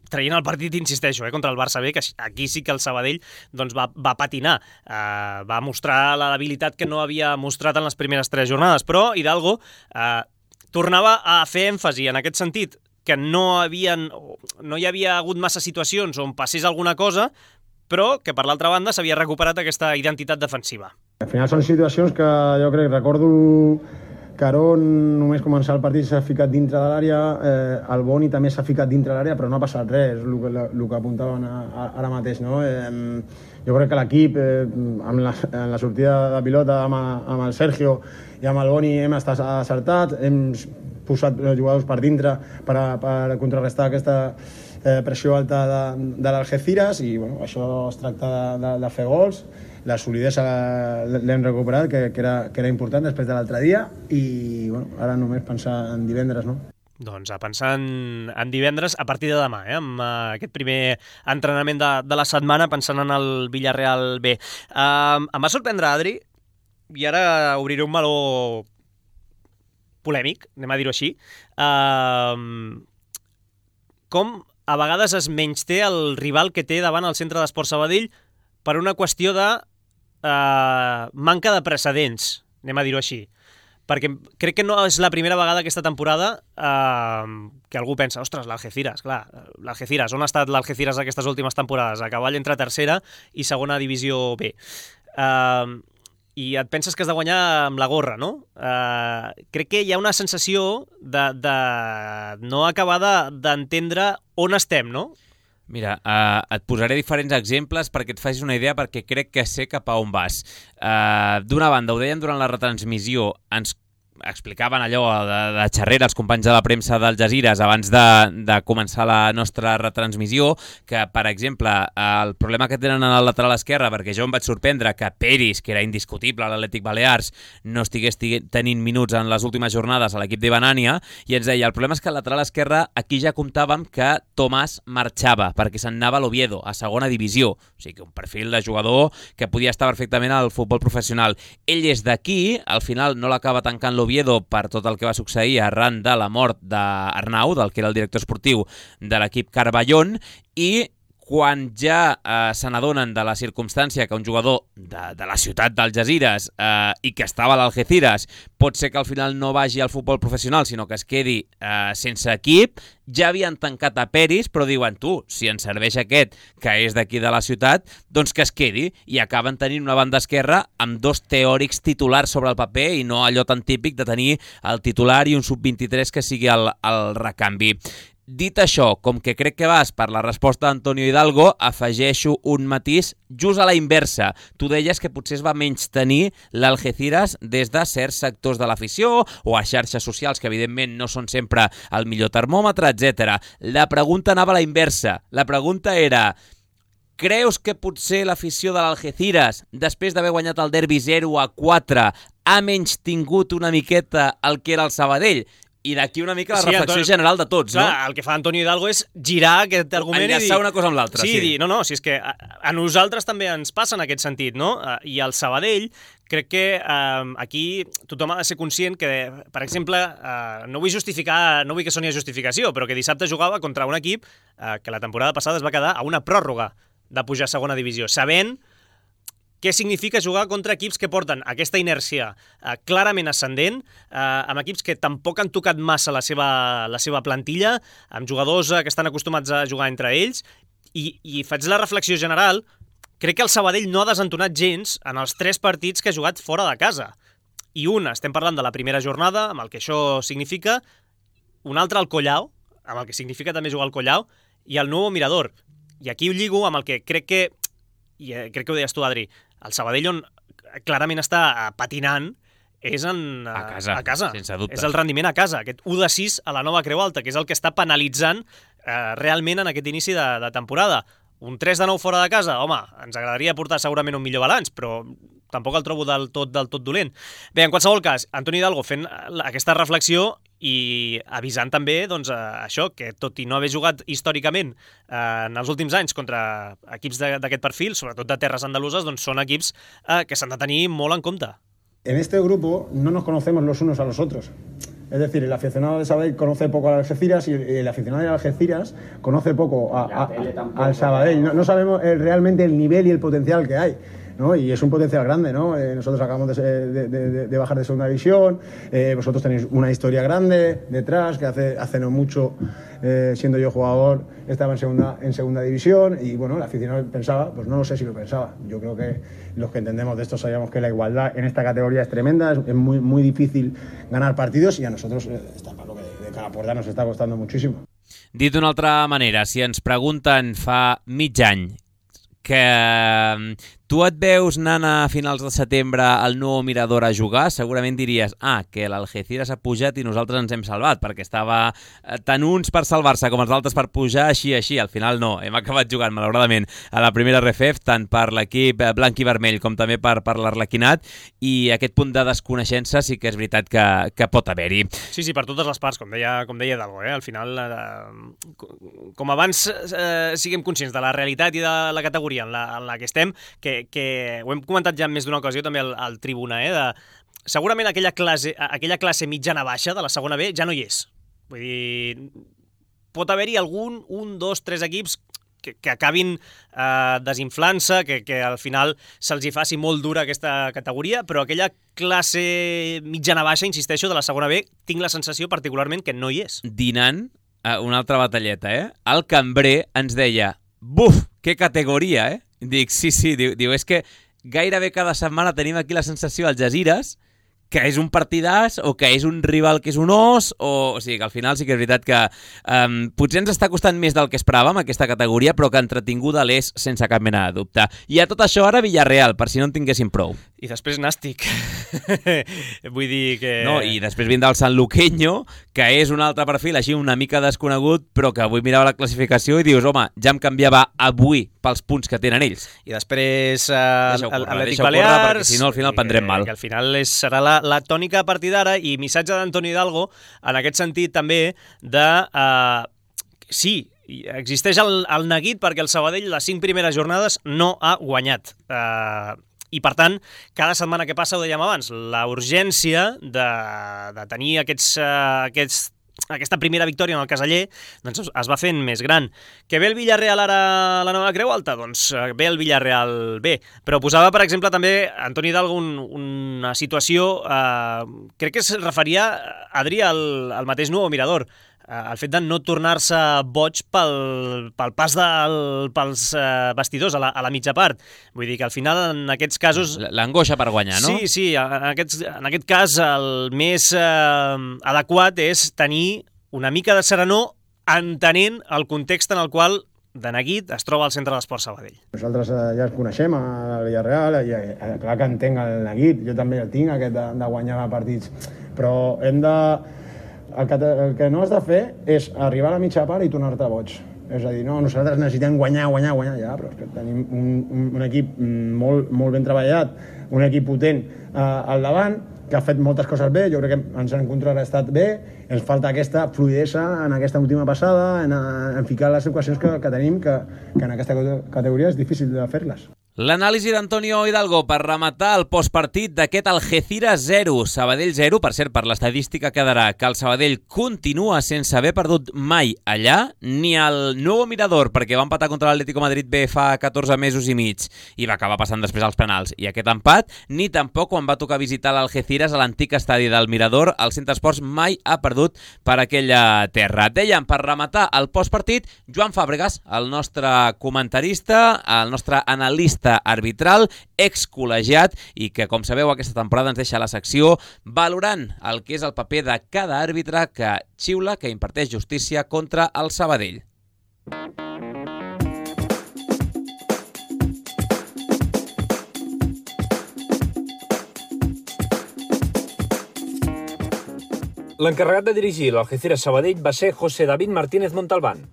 traient el partit, insisteixo, eh, contra el Barça B, que aquí sí que el Sabadell doncs, va, va patinar, eh, va mostrar la debilitat que no havia mostrat en les primeres tres jornades, però Hidalgo eh, tornava a fer èmfasi en aquest sentit, que no, havien, no hi havia hagut massa situacions on passés alguna cosa, però que per l'altra banda s'havia recuperat aquesta identitat defensiva. Al final són situacions que jo crec, recordo que Aron només començar el partit s'ha ficat dintre de l'àrea, eh, el Boni també s'ha ficat dintre de l'àrea, però no ha passat res, el que, el que apuntaven a, a, ara mateix, no? Eh, jo crec que l'equip, eh, amb, la, amb la sortida de pilota amb, amb el Sergio i amb el Boni hem estat acertats, hem posat jugadors per dintre per, a, per contrarrestar aquesta eh, pressió alta de, de l'Algeciras i bueno, això es tracta de, de, de fer gols. La solidesa l'hem recuperat, que, que, era, que era important després de l'altre dia i bueno, ara només pensar en divendres, no? Doncs a pensar en, en divendres a partir de demà, eh, amb uh, aquest primer entrenament de, de la setmana, pensant en el Villarreal B. Uh, em va sorprendre, Adri, i ara obriré un meló polèmic, anem a dir-ho així, uh, com a vegades es menysté el rival que té davant el Centre d'Esport Sabadell per una qüestió de eh, manca de precedents, anem a dir-ho així. Perquè crec que no és la primera vegada aquesta temporada eh, que algú pensa, ostres, l'Algeciras, clar, l'Algeciras, on ha estat l'Algeciras aquestes últimes temporades? A cavall entre tercera i segona divisió B. Eh, I et penses que has de guanyar amb la gorra, no? Eh, crec que hi ha una sensació de, de no acabar d'entendre on estem, no? Mira, uh, et posaré diferents exemples perquè et facis una idea, perquè crec que sé cap a on vas. Uh, D'una banda, ho deien durant la retransmissió, ens explicaven allò de, de xerrera els companys de la premsa d'Al Jazeeres abans de, de començar la nostra retransmissió, que, per exemple, el problema que tenen en el lateral esquerre, perquè jo em vaig sorprendre que Peris, que era indiscutible a l'Atlètic Balears, no estigués tenint minuts en les últimes jornades a l'equip de Banània, i ens deia, el problema és que al lateral esquerre aquí ja comptàvem que Tomàs marxava, perquè se'n anava a l'Oviedo, a segona divisió, o sigui que un perfil de jugador que podia estar perfectament al futbol professional. Ell és d'aquí, al final no l'acaba tancant l'Oviedo per tot el que va succeir arran de la mort d'Arnau, del que era el director esportiu de l'equip Carballón, i quan ja eh, se n'adonen de la circumstància que un jugador de, de la ciutat d'Algesires eh, i que estava a l'Algeciras pot ser que al final no vagi al futbol professional, sinó que es quedi eh, sense equip, ja havien tancat a Peris, però diuen, tu, si ens serveix aquest, que és d'aquí de la ciutat, doncs que es quedi, i acaben tenint una banda esquerra amb dos teòrics titulars sobre el paper i no allò tan típic de tenir el titular i un sub vint-i-tres que sigui el, el recanvi. Dit això, com que crec que vas per la resposta d'Antonio Hidalgo, afegeixo un matís just a la inversa. Tu deies que potser es va menys tenir l'Algeciras des de certs sectors de l'afició o a xarxes socials, que evidentment no són sempre el millor termòmetre, etcètera. La pregunta anava a la inversa. La pregunta era... Creus que potser l'afició de l'Algeciras, després d'haver guanyat el derbi zero a quatre, ha menys tingut una miqueta el que era el Sabadell? I d'aquí una mica la sí, reflexió Antonio, general de tots, clar, no? El que fa Antonio Hidalgo és girar aquest argument enllaçar i dir... una cosa amb l'altra, sí. Sí, dir, no, no, si és que a, a nosaltres també ens passa en aquest sentit, no? I al Sabadell, crec que eh, aquí tothom ha de ser conscient que, per exemple, eh, no vull justificar, no vull que soni a justificació, però que dissabte jugava contra un equip eh, que la temporada passada es va quedar a una pròrroga de pujar a segona divisió, sabent què significa jugar contra equips que porten aquesta inèrcia eh, clarament ascendent, eh, amb equips que tampoc han tocat massa la seva, la seva plantilla, amb jugadors eh, que estan acostumats a jugar entre ells, i, i faig la reflexió general, crec que el Sabadell no ha desentonat gens en els tres partits que ha jugat fora de casa. I un, estem parlant de la primera jornada, amb el que això significa, un altre al Collao, amb el que significa també jugar al Collao, i el nou Mirador. I aquí ho lligo amb el que crec que, i crec que ho deies tu, Adri, el Sabadell on clarament està patinant és en, a casa, a casa. Sense dubte. És el rendiment a casa, aquest u de sis a la nova Creu Alta, que és el que està penalitzant eh, realment en aquest inici de, de temporada. Un tres de nou fora de casa, home, ens agradaria portar segurament un millor balanç, però tampoc el trobo del tot, del tot dolent. Bé, en qualsevol cas, Antoni Hidalgo fent aquesta reflexió i avisant també doncs, això, que tot i no haver jugat històricament eh, en els últims anys contra equips d'aquest perfil, sobretot de terres andaluses, doncs són equips eh, que s'han de tenir molt en compte. En este grupo no nos conocemos los unos a los otros. Es decir, el aficionado de Sabadell conoce poco al Algeciras y el aficionado de Algeciras conoce poco a, a, a, al Sabadell. No, no sabemos el, realmente el nivel y el potencial que hay, ¿no? Y es un potencial grande, ¿no? Eh, nosotros acabamos de, de, de, de bajar de segunda división, eh, vosotros tenéis una historia grande detrás, que hace, hace no mucho, eh, siendo yo jugador, estaba en segunda, en segunda división, y bueno, el aficionado pensaba, pues no lo sé si lo pensaba. Yo creo que los que entendemos de esto sabíamos que la igualdad en esta categoría es tremenda, es, es muy, muy difícil ganar partidos, y a nosotros eh, está claro que de, de cara a puerta nos está costando muchísimo. Dit d'una altra manera, si ens pregunten fa mig any que tu et veus anant a finals de setembre al nou Mirador a jugar, segurament diries ah, que l'Algeciras ha pujat i nosaltres ens hem salvat, perquè estava tant uns per salvar-se com els altres per pujar, així, així. Al final no, hem acabat jugant, malauradament, a la primera R F F, tant per l'equip blanc i vermell com també per, per l'Arlequinat, i aquest punt de desconeixença sí que és veritat que, que pot haver-hi. Sí, sí, per totes les parts, com deia, com deia Hidalgo, eh? Al final, eh, com abans eh, siguem conscients de la realitat i de la categoria en la, en la que estem, que que ho hem comentat ja en més d'una ocasió també al, al Tribuna, eh, de segurament aquella classe, aquella classe mitjana-baixa de la segona B ja no hi és. Vull dir, pot haver-hi algun, un, dos, tres equips que, que acabin eh, desinflant-se, que, que al final se'ls hi faci molt dura aquesta categoria, però aquella classe mitjana-baixa, insisteixo, de la segona B, tinc la sensació particularment que no hi és. Dinant, eh, una altra batalleta, eh? El cambrer ens deia, buf, que categoria, eh? Dic, sí, sí, diu, diu, és que gairebé cada setmana tenim aquí la sensació al Algesires que és un partidàs o que és un rival que és un os, o, o sigui que al final sí que és veritat que um, potser ens està costant més del que esperàvem aquesta categoria, però que entretinguda l'és sense cap mena de dubte. I a tot això ara Villarreal, per si no en tinguéssim prou. I després Nàstic. Vull dir que... No, i després vindrà el Sanluqueño, que és un altre perfil així una mica desconegut, però que avui mirava la classificació i dius, home, ja em canviava avui pels punts que tenen ells. I després uh, l'Atlètic Balears... Perquè si no al final prendrem mal. Que al final és, serà la, la tònica a partir d'ara, i missatge d'Antoni Hidalgo en aquest sentit també de... Uh, sí, existeix el, el neguit perquè el Sabadell les cinc primeres jornades no ha guanyat. Uh, I, per tant, cada setmana que passa, ho dèiem abans, la urgència de, de tenir aquests, uh, aquests, aquesta primera victòria en el Caseller doncs es va fent més gran. Que ve el Villarreal ara a la nova Creu Alta? Doncs ve el Villarreal bé. Però posava, per exemple, també Antoni Hidalgo un, una situació, eh, crec que es referia, Adri, al, al mateix Nou Mirador, el fet de no tornar-se boig pel, pel pas del, pels uh, vestidors a la, a la mitja part. Vull dir que al final en aquests casos... L'angoixa per guanyar, no? Sí, sí, en, aquests, en aquest cas el més uh, adequat és tenir una mica de serenor entenent el context en el qual de neguit es troba al centre de l'Esport Sabadell. Nosaltres eh, ja el coneixem, el Villarreal, i eh, clar que entenc el neguit, jo també el tinc, aquest de, de guanyar partits, però hem de... El que, el que no has de fer és arribar a la mitja part i tornar-te boig. És a dir, no, nosaltres necessitem guanyar, guanyar, guanyar, ja, però és que tenim un, un, un equip molt, molt ben treballat, un equip potent eh, al davant, que ha fet moltes coses bé, jo crec que ens han contrarrestat bé, ens falta aquesta fluidesa en aquesta última passada, en, en ficar les equacions que, que tenim, que, que en aquesta categoria és difícil de fer-les. L'anàlisi d'Antonio Hidalgo per rematar el postpartit d'aquest Algeciras zero, Sabadell zero. Per cert, per l'estadística quedarà que el Sabadell continua sense haver perdut mai allà, ni al Nou Mirador, perquè va empatar contra l'Atlético Madrid B fa catorze mesos i mig i va acabar passant després als penals. I aquest empat, ni tampoc quan va tocar visitar l'Algeciras a l'antic estadi del Mirador, el Centre Esports mai ha perdut per aquella terra. Dèiem, per rematar el postpartit, Joan Fàbregas, el nostre comentarista, el nostre analista arbitral, excol·legiat, i que, com sabeu, aquesta temporada ens deixa la secció valorant el que és el paper de cada àrbitre que xiula, que imparteix justícia contra el Sabadell. L'encarregat de dirigir l'Algeciras Sabadell va ser José David Martínez Montalbán,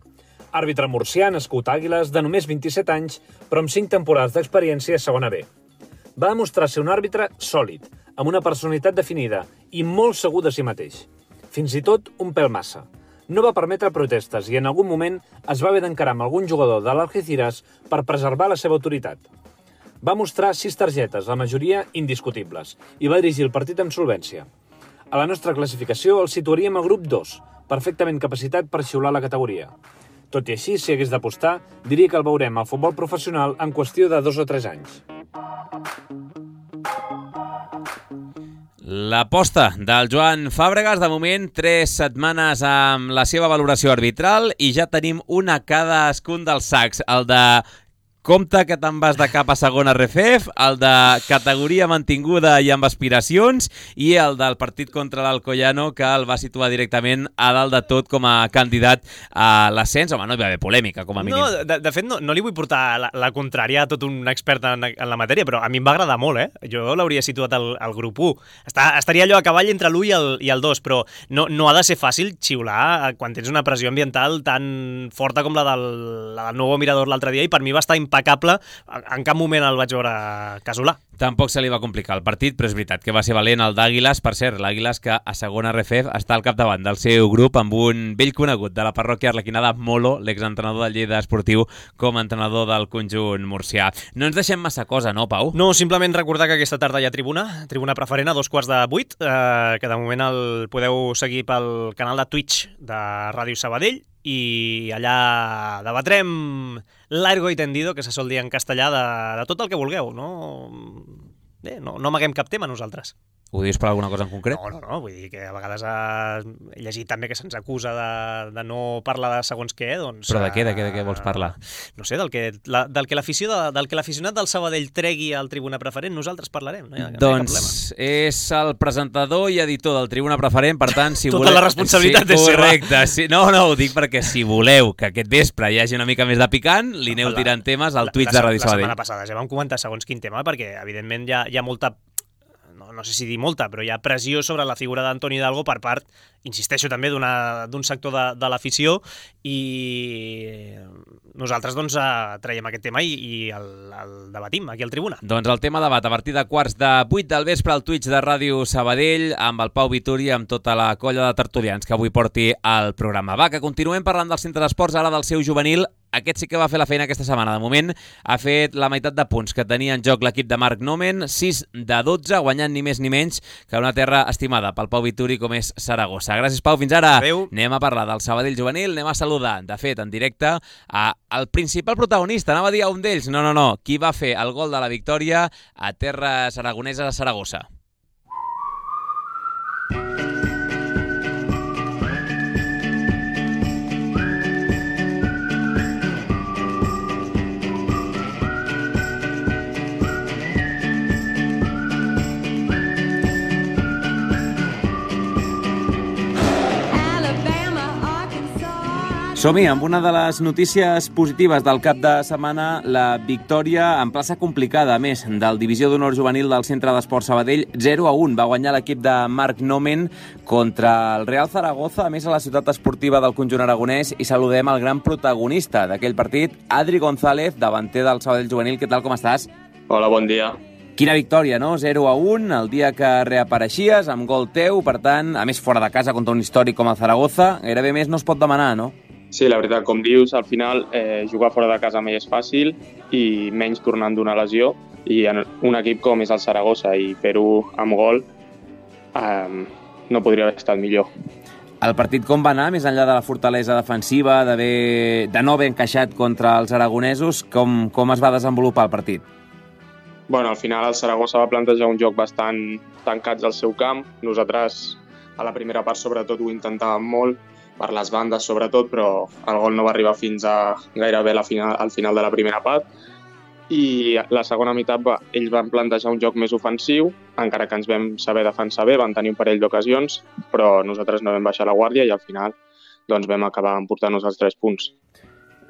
àrbitre murcià nascut a Àguiles de només vint-i-set anys, però amb cinc temporades d'experiència a segona B. Va demostrar ser un àrbitre sòlid, amb una personalitat definida i molt segur de si mateix. Fins i tot un pèl massa. No va permetre protestes i en algun moment es va haver d'encarar amb algun jugador de l'Algeciras per preservar la seva autoritat. Va mostrar sis targetes, la majoria indiscutibles, i va dirigir el partit amb solvència. A la nostra classificació el situaríem al grup dos, perfectament capacitat per xiular la categoria. Tot i així, si hagués d'apostar, diria que el veurem al futbol professional en qüestió de dos o tres anys. L'aposta del Joan Fàbregas, de moment, tres setmanes amb la seva valoració arbitral i ja tenim una cadascun dels sacs. El de compte que te'n vas de cap a segona R F F, el de categoria mantinguda i amb aspiracions, i el del partit contra l'Alcoyano, que el va situar directament a dalt de tot com a candidat a l'ascens. Home, no hi va haver polèmica, com a mínim. No, de, de fet, no, no li vull portar la, la contrària a tot un expert en, en la matèria, però a mi em va agradar molt, eh? Jo l'hauria situat al, al grup u. Està, estaria allò a cavall entre l'u i el, i el dos, però no, no ha de ser fàcil xiular quan tens una pressió ambiental tan forta com la del, la del Nou Mirador l'altre dia, i per mi va estar impactant impecable, en cap moment el vaig veure casolà. Tampoc se li va complicar el partit, però és veritat que va ser valent el d'Àguiles. Per cert, l'Àguiles que a segona R F F està al capdavant del seu grup amb un vell conegut de la parròquia arlequinada, Molo, l'exentrenador del Lleida Esportiu, com a entrenador del conjunt murcià. No ens deixem massa cosa, no, Pau? No, simplement recordar que aquesta tarda hi ha tribuna, tribuna preferent a dos quarts de vuit, eh, que de moment el podeu seguir pel canal de Twitch de Ràdio Sabadell, i allà debatrem largo y tendido, que se sol dir en castellà, de, de tot el que vulgueu, no? Bé, no, no amaguem cap tema nosaltres. Ho dius per alguna cosa en concret? No, no, no, vull dir que a vegades ha... he llegit també que se'ns acusa de, de no parlar de segons què, doncs... Però de què, de què, de què vols parlar? No sé, del que, la, del que l'afició de, del que l'aficionat del Sabadell tregui al Tribuna Preferent, nosaltres parlarem, no hi ha, no doncs hi ha cap és el presentador i editor del Tribuna Preferent, per tant, si tota voleu... la responsabilitat sí, és seva. Correcte, sí. No, no, ho dic perquè si voleu que aquest vespre hi hagi una mica més de picant, li aneu la, tirant temes al la, Twitch la, de Ràdio la Sabadell. La setmana passada ja vam comentar segons quin tema, perquè evidentment hi ha, hi ha molta... no sé si dir molta, però hi ha pressió sobre la figura d'Antoni Hidalgo per part, insisteixo, també d'un sector de, de l'afició, i nosaltres doncs traiem aquest tema i, i el, el debatim aquí al Tribuna. Doncs el tema debat a partir de quarts de vuit del vespre al Twitch de Ràdio Sabadell amb el Pau Vituri, amb tota la colla de tertulians que avui porti al programa. Va, que continuem parlant del centre d'esports, ara del seu juvenil. Aquest sí que va fer la feina aquesta setmana. De moment ha fet la meitat de punts que tenia en joc l'equip de Marc Nomen, sis de dotze, guanyant ni més ni menys que una terra estimada pel Pau Vituri com és Saragossa. Gràcies, Pau, fins ara. Adéu. Anem a parlar del Sabadell juvenil, anem a saludar, de fet, en directe, a el principal protagonista, anava a dir a un d'ells, no, no, no, qui va fer el gol de la victòria a terres aragoneses a Saragossa. Som-hi amb una de les notícies positives del cap de setmana, la victòria en plaça complicada, a més, del Divisió d'Honor Juvenil del Centre d'Esports Sabadell, zero a un. Va guanyar l'equip de Marc Nomen contra el Real Zaragoza, a més a la ciutat esportiva del conjunt aragonès, i saludem el gran protagonista d'aquell partit, Adri González, davanter del Sabadell Juvenil. Què tal, com estàs? Hola, bon dia. Quina victòria, no? zero a un, el dia que reapareixies, amb gol teu, per tant, a més fora de casa contra un històric com el Zaragoza, gairebé més no es pot demanar, no? Sí, la veritat, com dius, al final eh, jugar fora de casa mai és fàcil i menys tornant d'una lesió, i en un equip com és el Saragossa i fer-ho amb gol eh, no podria haver estat millor. El partit com va anar, més enllà de la fortalesa defensiva, de no haver encaixat contra els aragonesos, com, com es va desenvolupar el partit? Bueno, al final el Saragossa va plantejar un joc bastant tancats al seu camp. Nosaltres a la primera part sobretot ho intentàvem molt, per les bandes sobretot, però el gol no va arribar fins a gairebé la final, al final de la primera part. I la segona meitat va, ells van plantejar un joc més ofensiu, encara que ens vam saber defensar bé, van tenir un parell d'ocasions, però nosaltres no vam baixar la guàrdia i al final doncs, vam acabar emportant-nos els tres punts.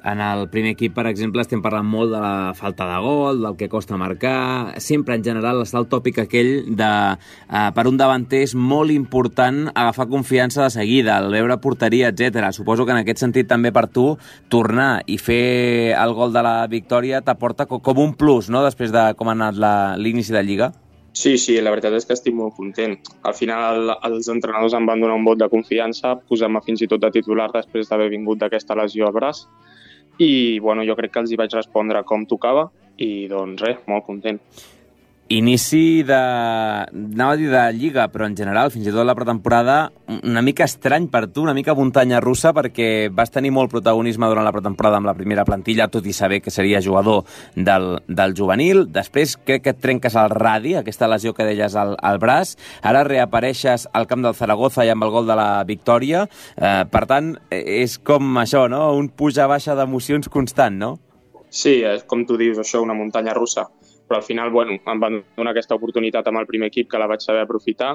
En el primer equip, per exemple, estem parlant molt de la falta de gol, del que costa marcar. Sempre, en general, està el tòpic aquell de, eh, per un davanter és molt important agafar confiança de seguida, el veure porteria, etcètera. Suposo que en aquest sentit també per tu tornar i fer el gol de la victòria t'aporta com un plus, no?, després de com ha anat l'inici de Lliga. Sí, sí, la veritat és que estic molt content. Al final els entrenadors em van donar un vot de confiança, posant-me fins i tot de titular després d'haver vingut d'aquesta lesió al braç. I bueno, jo crec que els hi vaig respondre com tocava i doncs res, molt content. Inici de... anava a dir de Lliga, però en general, fins i tot la pretemporada, una mica estrany per tu, una mica muntanya russa, perquè vas tenir molt protagonisme durant la pretemporada amb la primera plantilla, tot i saber que seria jugador del, del juvenil. Després crec que et trenques el radi, aquesta lesió que deies al, al braç. Ara reapareixes al camp del Zaragoza i amb el gol de la victòria. Eh, per tant, és com això, no?, un puja-baixa d'emocions constant, no? Sí, és com tu dius, això, una muntanya russa. Però al final, bueno, em van donar aquesta oportunitat amb el primer equip que la vaig saber aprofitar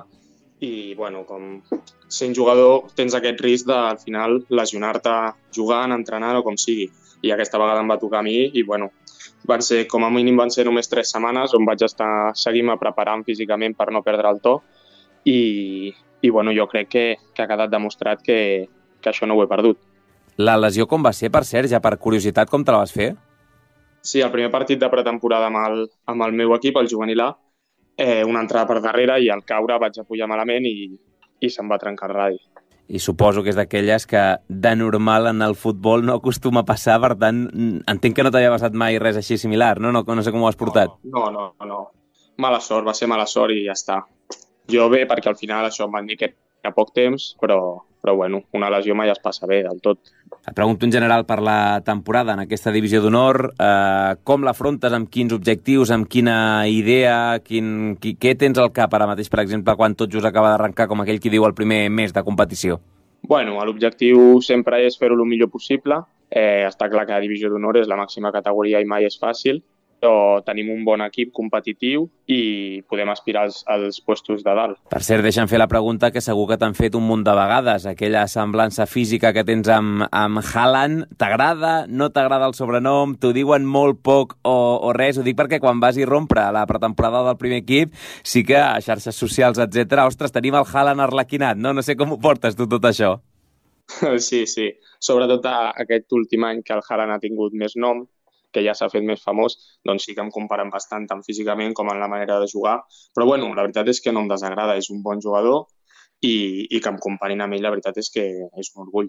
i, bueno, com sent jugador tens aquest risc de, al final, lesionar-te jugant, entrenant o com sigui. I aquesta vegada em va tocar a mi i, bueno, van ser, com a mínim van ser només tres setmanes on vaig estar seguint-me preparant físicament per no perdre el to i, i bueno, jo crec que, que ha quedat demostrat que, que això no ho he perdut. La lesió com va ser, per cert, ja per curiositat, com te la vas fer? Sí, el primer partit de pretemporada amb el, amb el meu equip, el juvenil A, eh, una entrada per darrere i al caure vaig apujar malament i, i se'm va trencar el radi. I suposo que és d'aquelles que de normal en el futbol no acostuma a passar, per tant, entenc que no t'havia passat mai res així similar, no? No, no sé com ho has portat. No, no, no, no. Mala sort, va ser mala sort i ja està. Jo bé, perquè al final això em van dir que era poc temps, però, però bueno, una lesió mai es passa bé del tot. Et pregunto en general per la temporada en aquesta divisió d'honor, eh, com l'afrontes, amb quins objectius, amb quina idea, quin, qui, què tens al cap ara mateix, per exemple, quan tot just acaba d'arrencar, com aquell qui diu el primer mes de competició? Bueno, l'objectiu sempre és fer-ho el millor possible. Eh, està clar que la divisió d'honor és la màxima categoria i mai és fàcil, però tenim un bon equip competitiu i podem aspirar als, als puestos de dalt. Per cert, deixa'm fer la pregunta que segur que t'han fet un munt de vegades. Aquella semblança física que tens amb, amb Haaland, t'agrada, no t'agrada el sobrenom, t'ho diuen molt poc o, o res? Ho dic perquè quan vas irrompre a la pretemporada del primer equip, sí que a xarxes socials, etcètera, ostres, tenim el Haaland arlequinat, no? No sé com ho portes tu tot això. Sí, sí. Sobretot aquest últim any que el Haaland ha tingut més nom, que ja s'ha fet més famós, doncs sí que em comparen bastant tant físicament com en la manera de jugar. Però bueno, la veritat és que no em desagrada, és un bon jugador i, i que em comparin amb ell, la veritat és que és un orgull.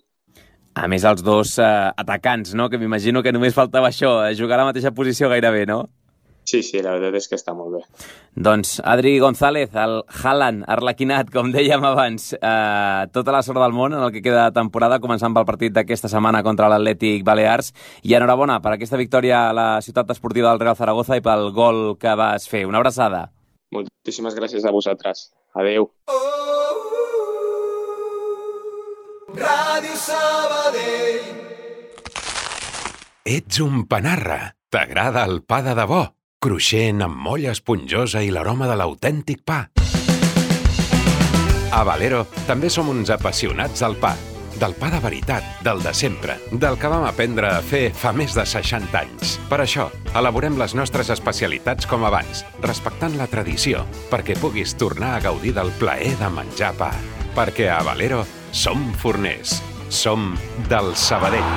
A més, els dos eh, atacants, no? Que m'imagino que només faltava això, jugar a la mateixa posició gairebé, no? Sí, sí, la veritat és que està molt bé. Doncs Adri González, el Haaland arlequinat, com dèiem abans, eh, tota la sort del món en el que queda de temporada, començant pel partit d'aquesta setmana contra l'Atlètic Balears, i enhorabona per aquesta victòria a la ciutat esportiva del Real Zaragoza i pel gol que vas fer. Una abraçada. Moltíssimes gràcies a vosaltres. Adeu. Ràdio Sabadell. Ets un panarra. T'agrada el pa de debò? Cruixent, amb molla esponjosa i l'aroma de l'autèntic pa. A Valero també som uns apassionats del pa. Del pa de veritat, del de sempre, del que vam aprendre a fer fa més de seixanta anys. Per això, elaborem les nostres especialitats com abans, respectant la tradició, perquè puguis tornar a gaudir del plaer de menjar pa. Perquè a Valero som forners. Som del Sabadell.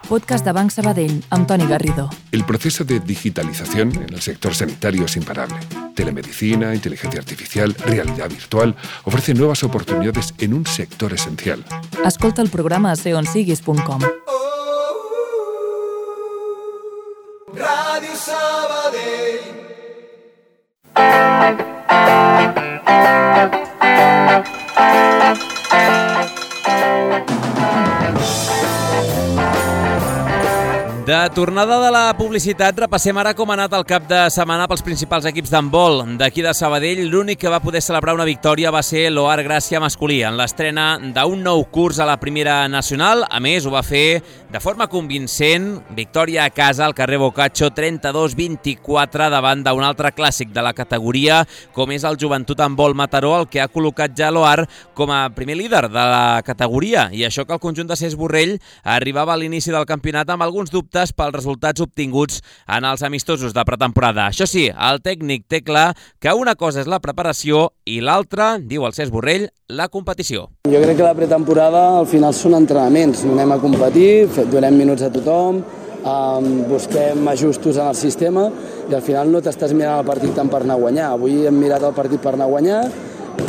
Podcast de Banc Sabadell, amb Toni Garrido. El proceso de digitalización en el sector sanitario es imparable. Telemedicina, inteligencia artificial, realidad virtual ofrecen nuevas oportunidades en un sector esencial. Escolta el programa a ser on siguis punt com. Ràdio Sabadell. De tornada de la publicitat, repassem ara com ha anat el cap de setmana pels principals equips d'handbol. D'aquí de Sabadell, l'únic que va poder celebrar una victòria va ser l'Oar Gràcia masculí, en l'estrena d'un nou curs a la primera nacional. A més, ho va fer de forma convincent, victòria a casa al carrer Boccaccio, trenta-dos vint-i-quatre, davant d'un altre clàssic de la categoria, com és el Joventut Handbol Mataró, el que ha col·locat ja l'Oar com a primer líder de la categoria. I això que el conjunt de Cés Borrell arribava a l'inici del campionat amb alguns dubtes pels resultats obtinguts en els amistosos de pretemporada. Això sí, el tècnic té clar que una cosa és la preparació i l'altra, diu el Cés Borrell, la competició. Jo crec que la pretemporada al final són entrenaments. Anem a competir, donem minuts a tothom, um, busquem ajustos en el sistema i al final no t'estàs mirant el partit tant per anar a guanyar. Avui hem mirat el partit per anar a guanyar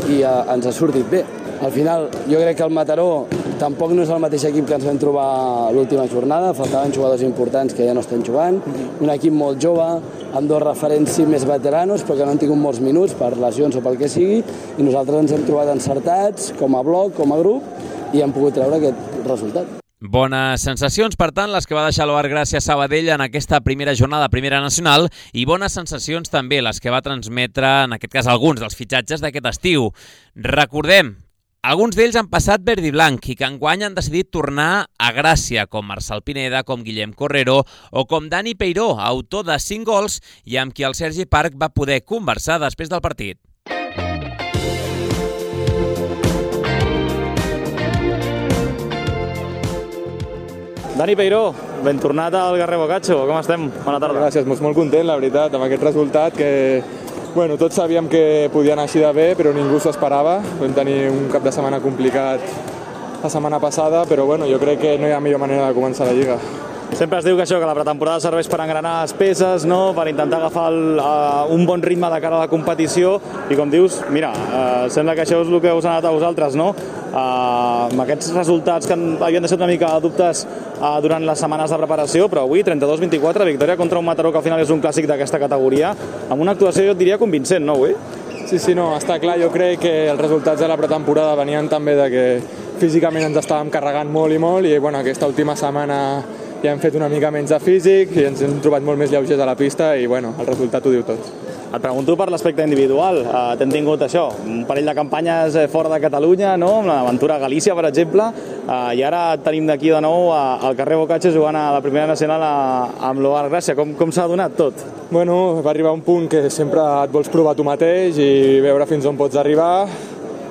i uh, ens ha sortit bé. Al final, jo crec que el Mataró tampoc no és el mateix equip que ens vam trobar l'última jornada, faltaven jugadors importants que ja no estan jugant, un equip molt jove, amb dos referents sí més veteranos, però que no han tingut molts minuts per lesions o pel que sigui, i nosaltres ens hem trobat encertats, com a bloc, com a grup, i hem pogut treure aquest resultat. Bones sensacions, per tant, les que va deixar l'Oar Gràcia Sabadell en aquesta primera jornada primera nacional, i bones sensacions també les que va transmetre, en aquest cas, alguns dels fitxatges d'aquest estiu. Recordem, alguns d'ells han passat verd i blanc i que enguany han decidit tornar a Gràcia, com Marçal Pineda, com Guillem Correro o com Dani Peiró, autor de cinc gols i amb qui el Sergi Parc va poder conversar després del partit. Dani Peiró, ben tornat al Carrer Boccaccio, com estem? Bona tarda. Gràcies, molt, molt content, la veritat, amb aquest resultat que bueno, tots sabíem que podia anar així de bé, però ningú s'ho esperava. Vam tenir un cap de setmana complicat la setmana passada, però bueno, jo crec que no hi ha millor manera de començar la Lliga. Sempre es diu que això, que la pretemporada serveix per engranar les peces, no? Per intentar agafar el, uh, un bon ritme de cara a la competició, i com dius, mira, uh, sembla que això és el que us ha anat a vosaltres, no? Uh, amb aquests resultats que havien deixat una mica de dubtes uh, durant les setmanes de preparació, però avui trenta-dos vint-i-quatre, victòria contra un Mataró que al final és un clàssic d'aquesta categoria, amb una actuació, jo et diria, convincent, no, avui? Sí, sí, no, està clar. Jo crec que els resultats de la pretemporada venien també de que físicament ens estàvem carregant molt i molt i bueno, aquesta última setmana ja hem fet una mica menys de físic i ens hem trobat molt més lleugers a la pista i bueno, el resultat ho diu tot. Et pregunto per l'aspecte individual. Uh, T'hem tingut això, un parell de campanyes fora de Catalunya, no? Amb l'aventura a Galícia, per exemple, uh, i ara tenim d'aquí de nou uh, al carrer Bocatge jugant a la primera nacional a, amb l'O R Gràcia. Com, com s'ha donat tot? Bueno, va arribar un punt que sempre et vols provar tu mateix i veure fins on pots arribar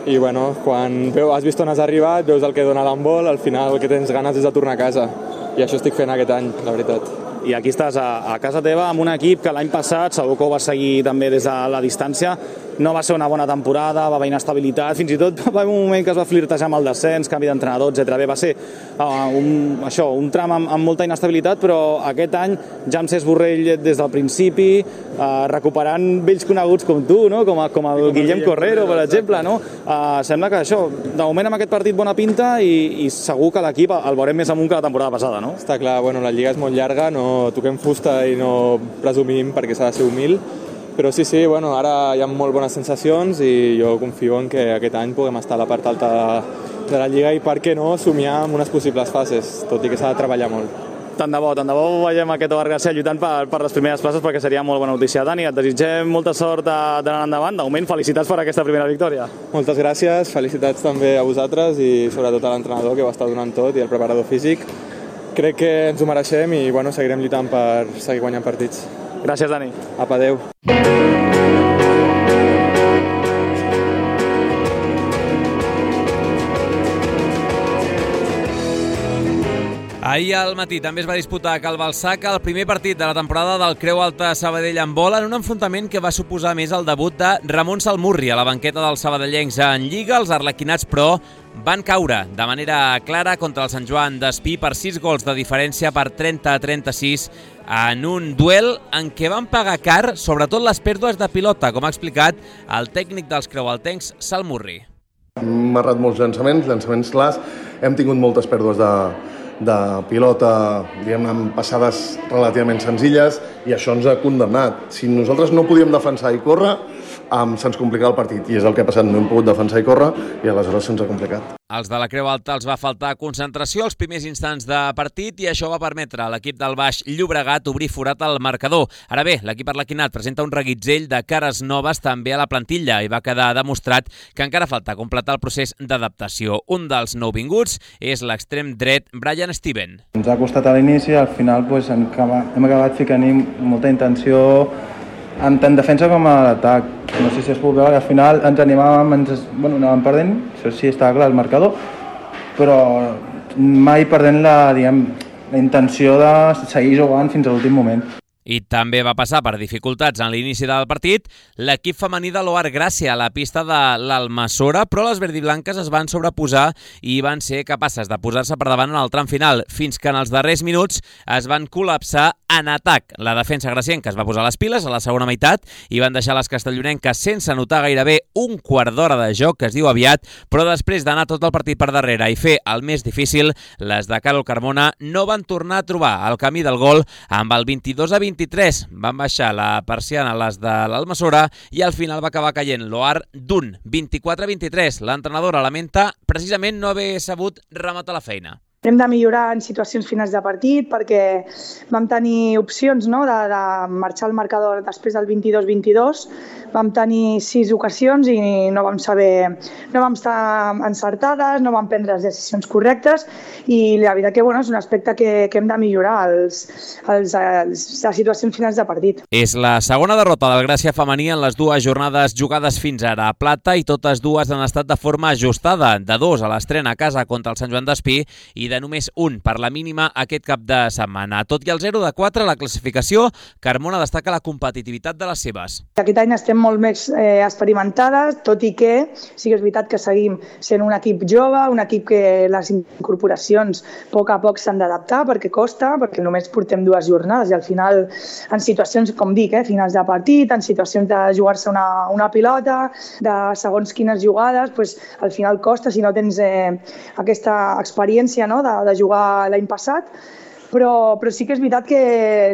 i bueno, quan veu, has vist on has arribat, veus el que dona l'handbol, al final el que tens ganes és de tornar a casa i això estic fent aquest any, la veritat. I aquí estàs a, a casa teva amb un equip que l'any passat segur que ho va seguir també des de la distància. No va ser una bona temporada, va haver inestabilitat, fins i tot va haver un moment que es va flirtejar amb el descens, canvi d'entrenador, etcètera. Bé, va ser uh, un, això, un tram amb, amb molta inestabilitat, però aquest any ja amb Cesc Borrell des del principi, uh, recuperant vells coneguts com tu, no? com, a, com el com Guillem Correro, per exemple. No? Uh, sembla que això, de moment amb aquest partit bona pinta i, i segur que l'equip el veurem més amunt que la temporada passada, no? Està clar, bueno, la lliga és molt llarga, no toquem fusta i no presumim perquè s'ha de ser humil, però sí, sí, bueno, ara hi ha molt bones sensacions i jo confio en que aquest any puguem estar a la part alta de, de la Lliga i per què no somiar amb unes possibles fases, tot i que s'ha de treballar molt. Tant de bo, tant de bo veiem aquest O R Gràcia lluitant per, per les primeres places perquè seria molt bona notícia. Dani, et desitgem molta sort d'anar endavant. De moment, felicitats per aquesta primera victòria. Moltes gràcies, felicitats també a vosaltres i sobretot a l'entrenador que ho està donant tot i al preparador físic. Crec que ens ho mereixem i bueno, seguirem lluitant per seguir guanyant partits. Gràcies, Dani. Apa, adeu. Ahir al matí també es va disputar a Cal Balsaca el primer partit de la temporada del Creu Alta Sabadell Handbol en un enfrontament que va suposar més el debut de Ramon Salmurri a la banqueta dels sabadellencs en Lliga. Els arlequinats, però, van caure de manera clara contra el Sant Joan d'Espí per sis gols de diferència per trenta a trenta-sis en un duel en què van pagar car sobretot les pèrdues de pilota, com ha explicat el tècnic dels creualtencs, Salmurri. Hem marrat molts llançaments, llançaments clars, hem tingut moltes pèrdues de, de pilota, diguem-ne, amb passades relativament senzilles i això ens ha condemnat. Si nosaltres no podíem defensar i córrer, Um, se'ns complica el partit i és el que ha passat, no hem pogut defensar i córrer i aleshores se'ns ha complicat. Els de la Creu Alta els va faltar concentració als primers instants de partit i això va permetre a l'equip del Baix Llobregat obrir forat al marcador. Ara bé, l'equip arlequinat presenta un reguitzell de cares noves també a la plantilla i va quedar demostrat que encara falta completar el procés d'adaptació. Un dels nouvinguts és l'extrem dret Brian Steven. Ens ha costat a l'inici, al final pues, hem acabat ficant-hi molta intenció tant defensa com a l'atac. No sé si es pot veure que al final ens animàvem, ens, bueno, anàvem perdent, això sí estava clar el marcador, però mai perdent la, diguem, la intenció de seguir jugant fins a l'últim moment. I també va passar per dificultats en l'inici del partit l'equip femení de l'O R Gràcia a la pista de l'Almassora, però les verdiblanques es van sobreposar i van ser capaces de posar-se per davant en el tram final, fins que en els darrers minuts es van col·lapsar en atac. La defensa gracienca es va posar les piles a la segona meitat i van deixar les castellonenques sense notar gairebé un quart d'hora de joc, que es diu aviat, però després d'anar tot el partit per darrere i fer el més difícil, les de Carol Carmona no van tornar a trobar el camí del gol amb el vint-i-dos a vint-i-tres. Van baixar la persiana les de l'Almassora i al final va acabar caient l'O R d'un vint-i-quatre a vint-i-tres. L'entrenadora lamenta precisament no haver sabut rematar la feina. Hem de millorar en situacions finals de partit perquè vam tenir opcions, no?, de, de marxar al marcador després del vint-i-dos vint-i-dos. Vam tenir sis ocasions i no vam saber, no vam estar encertades, no vam prendre les decisions correctes i la veritat que bueno, és un aspecte que, que hem de millorar, els, els, els, les situacions finals de partit. És la segona derrota del Gràcia femení en les dues jornades jugades fins ara a Plata i totes dues han estat de forma ajustada, de dos a l'estrena a casa contra el Sant Joan d'Espí i de només un per la mínima aquest cap de setmana. Tot i el zero de quatre a la classificació, Carmona destaca la competitivitat de les seves. Aquest any estem molt més eh, experimentades, tot i que sí que és veritat que seguim sent un equip jove, un equip que les incorporacions a poc a poc s'han d'adaptar perquè costa, perquè només portem dues jornades i al final en situacions, com dic, eh, finals de partit, en situacions de jugar-se una, una pilota, de segons quines jugades, pues, al final costa si no tens eh, aquesta experiència, no?, de, de jugar l'any passat, però, però sí que és veritat que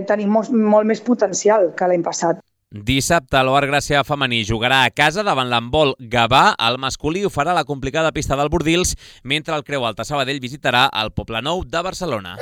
tenim molt, molt més potencial que l'any passat. Dissabte, l'Oar Gràcia femení jugarà a casa davant l'handbol Gavà. El masculí ho farà a la complicada pista del Bordils, mentre el Creu Alta Sabadell visitarà el Poblenou de Barcelona.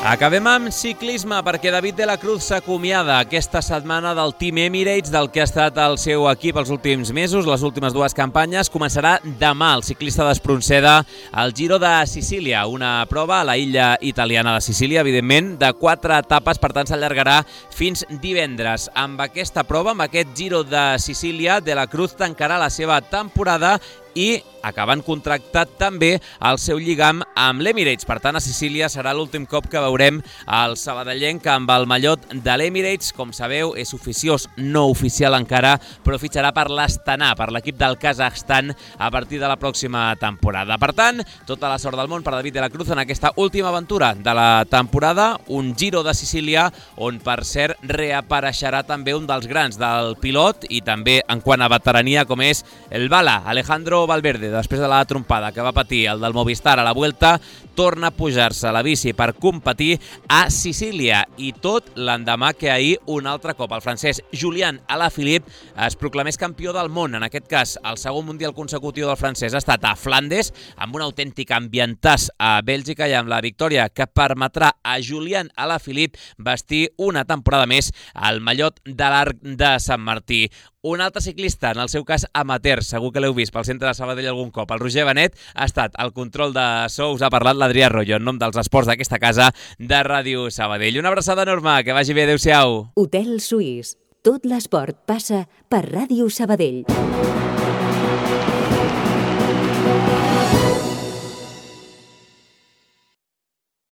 Acabem amb ciclisme perquè David de la Cruz s'acomiada aquesta setmana del Team Emirates, del que ha estat el seu equip els últims mesos, les últimes dues campanyes. Començarà demà el ciclista d'Espronceda al Giro de Sicília, una prova a la illa italiana de Sicília, evidentment, de quatre etapes, per tant s'allargarà fins divendres. Amb aquesta prova, amb aquest Giro de Sicília, de la Cruz tancarà la seva temporada i acabant contractat també el seu lligam amb l'Emirates. Per tant, a Sicília serà l'últim cop que veurem el sabadellenc amb el mallot de l'Emirates. Com sabeu, és oficiós, no oficial encara, però fitxarà per l'Astana, per l'equip del Kazakhstan, a partir de la pròxima temporada. Per tant, tota la sort del món per David de la Cruz en aquesta última aventura de la temporada, un Giro de Sicília, on, per cert, reapareixerà també un dels grans del pilot i també en quant a veterania, com és el Bala, Alejandro Valverde. Després de la trompada que va patir el del Movistar a la Vuelta, torna a pujar-se a la bici per competir a Sicília, i tot l'endemà que ahir un altre cop el francès Julian Alaphilippe es proclamés campió del món. En aquest cas, el segon mundial consecutiu del francès ha estat a Flandes, amb un autèntic ambientàs a Bèlgica, i amb la victòria que permetrà a Julian Alaphilippe vestir una temporada més el mallot de l'Arc de Sant Martí. Un altre ciclista, en el seu cas amateur, segur que l'heu vist pel centre de Sabadell algun cop. El Roger Benet ha estat al control de so, us ha parlat l'Adrià Royo, en nom dels esports d'aquesta casa de Ràdio Sabadell. Una abraçada enorme, que vagi bé, adeu-siau. Hotel Suís. Tot l'esport passa per Ràdio Sabadell.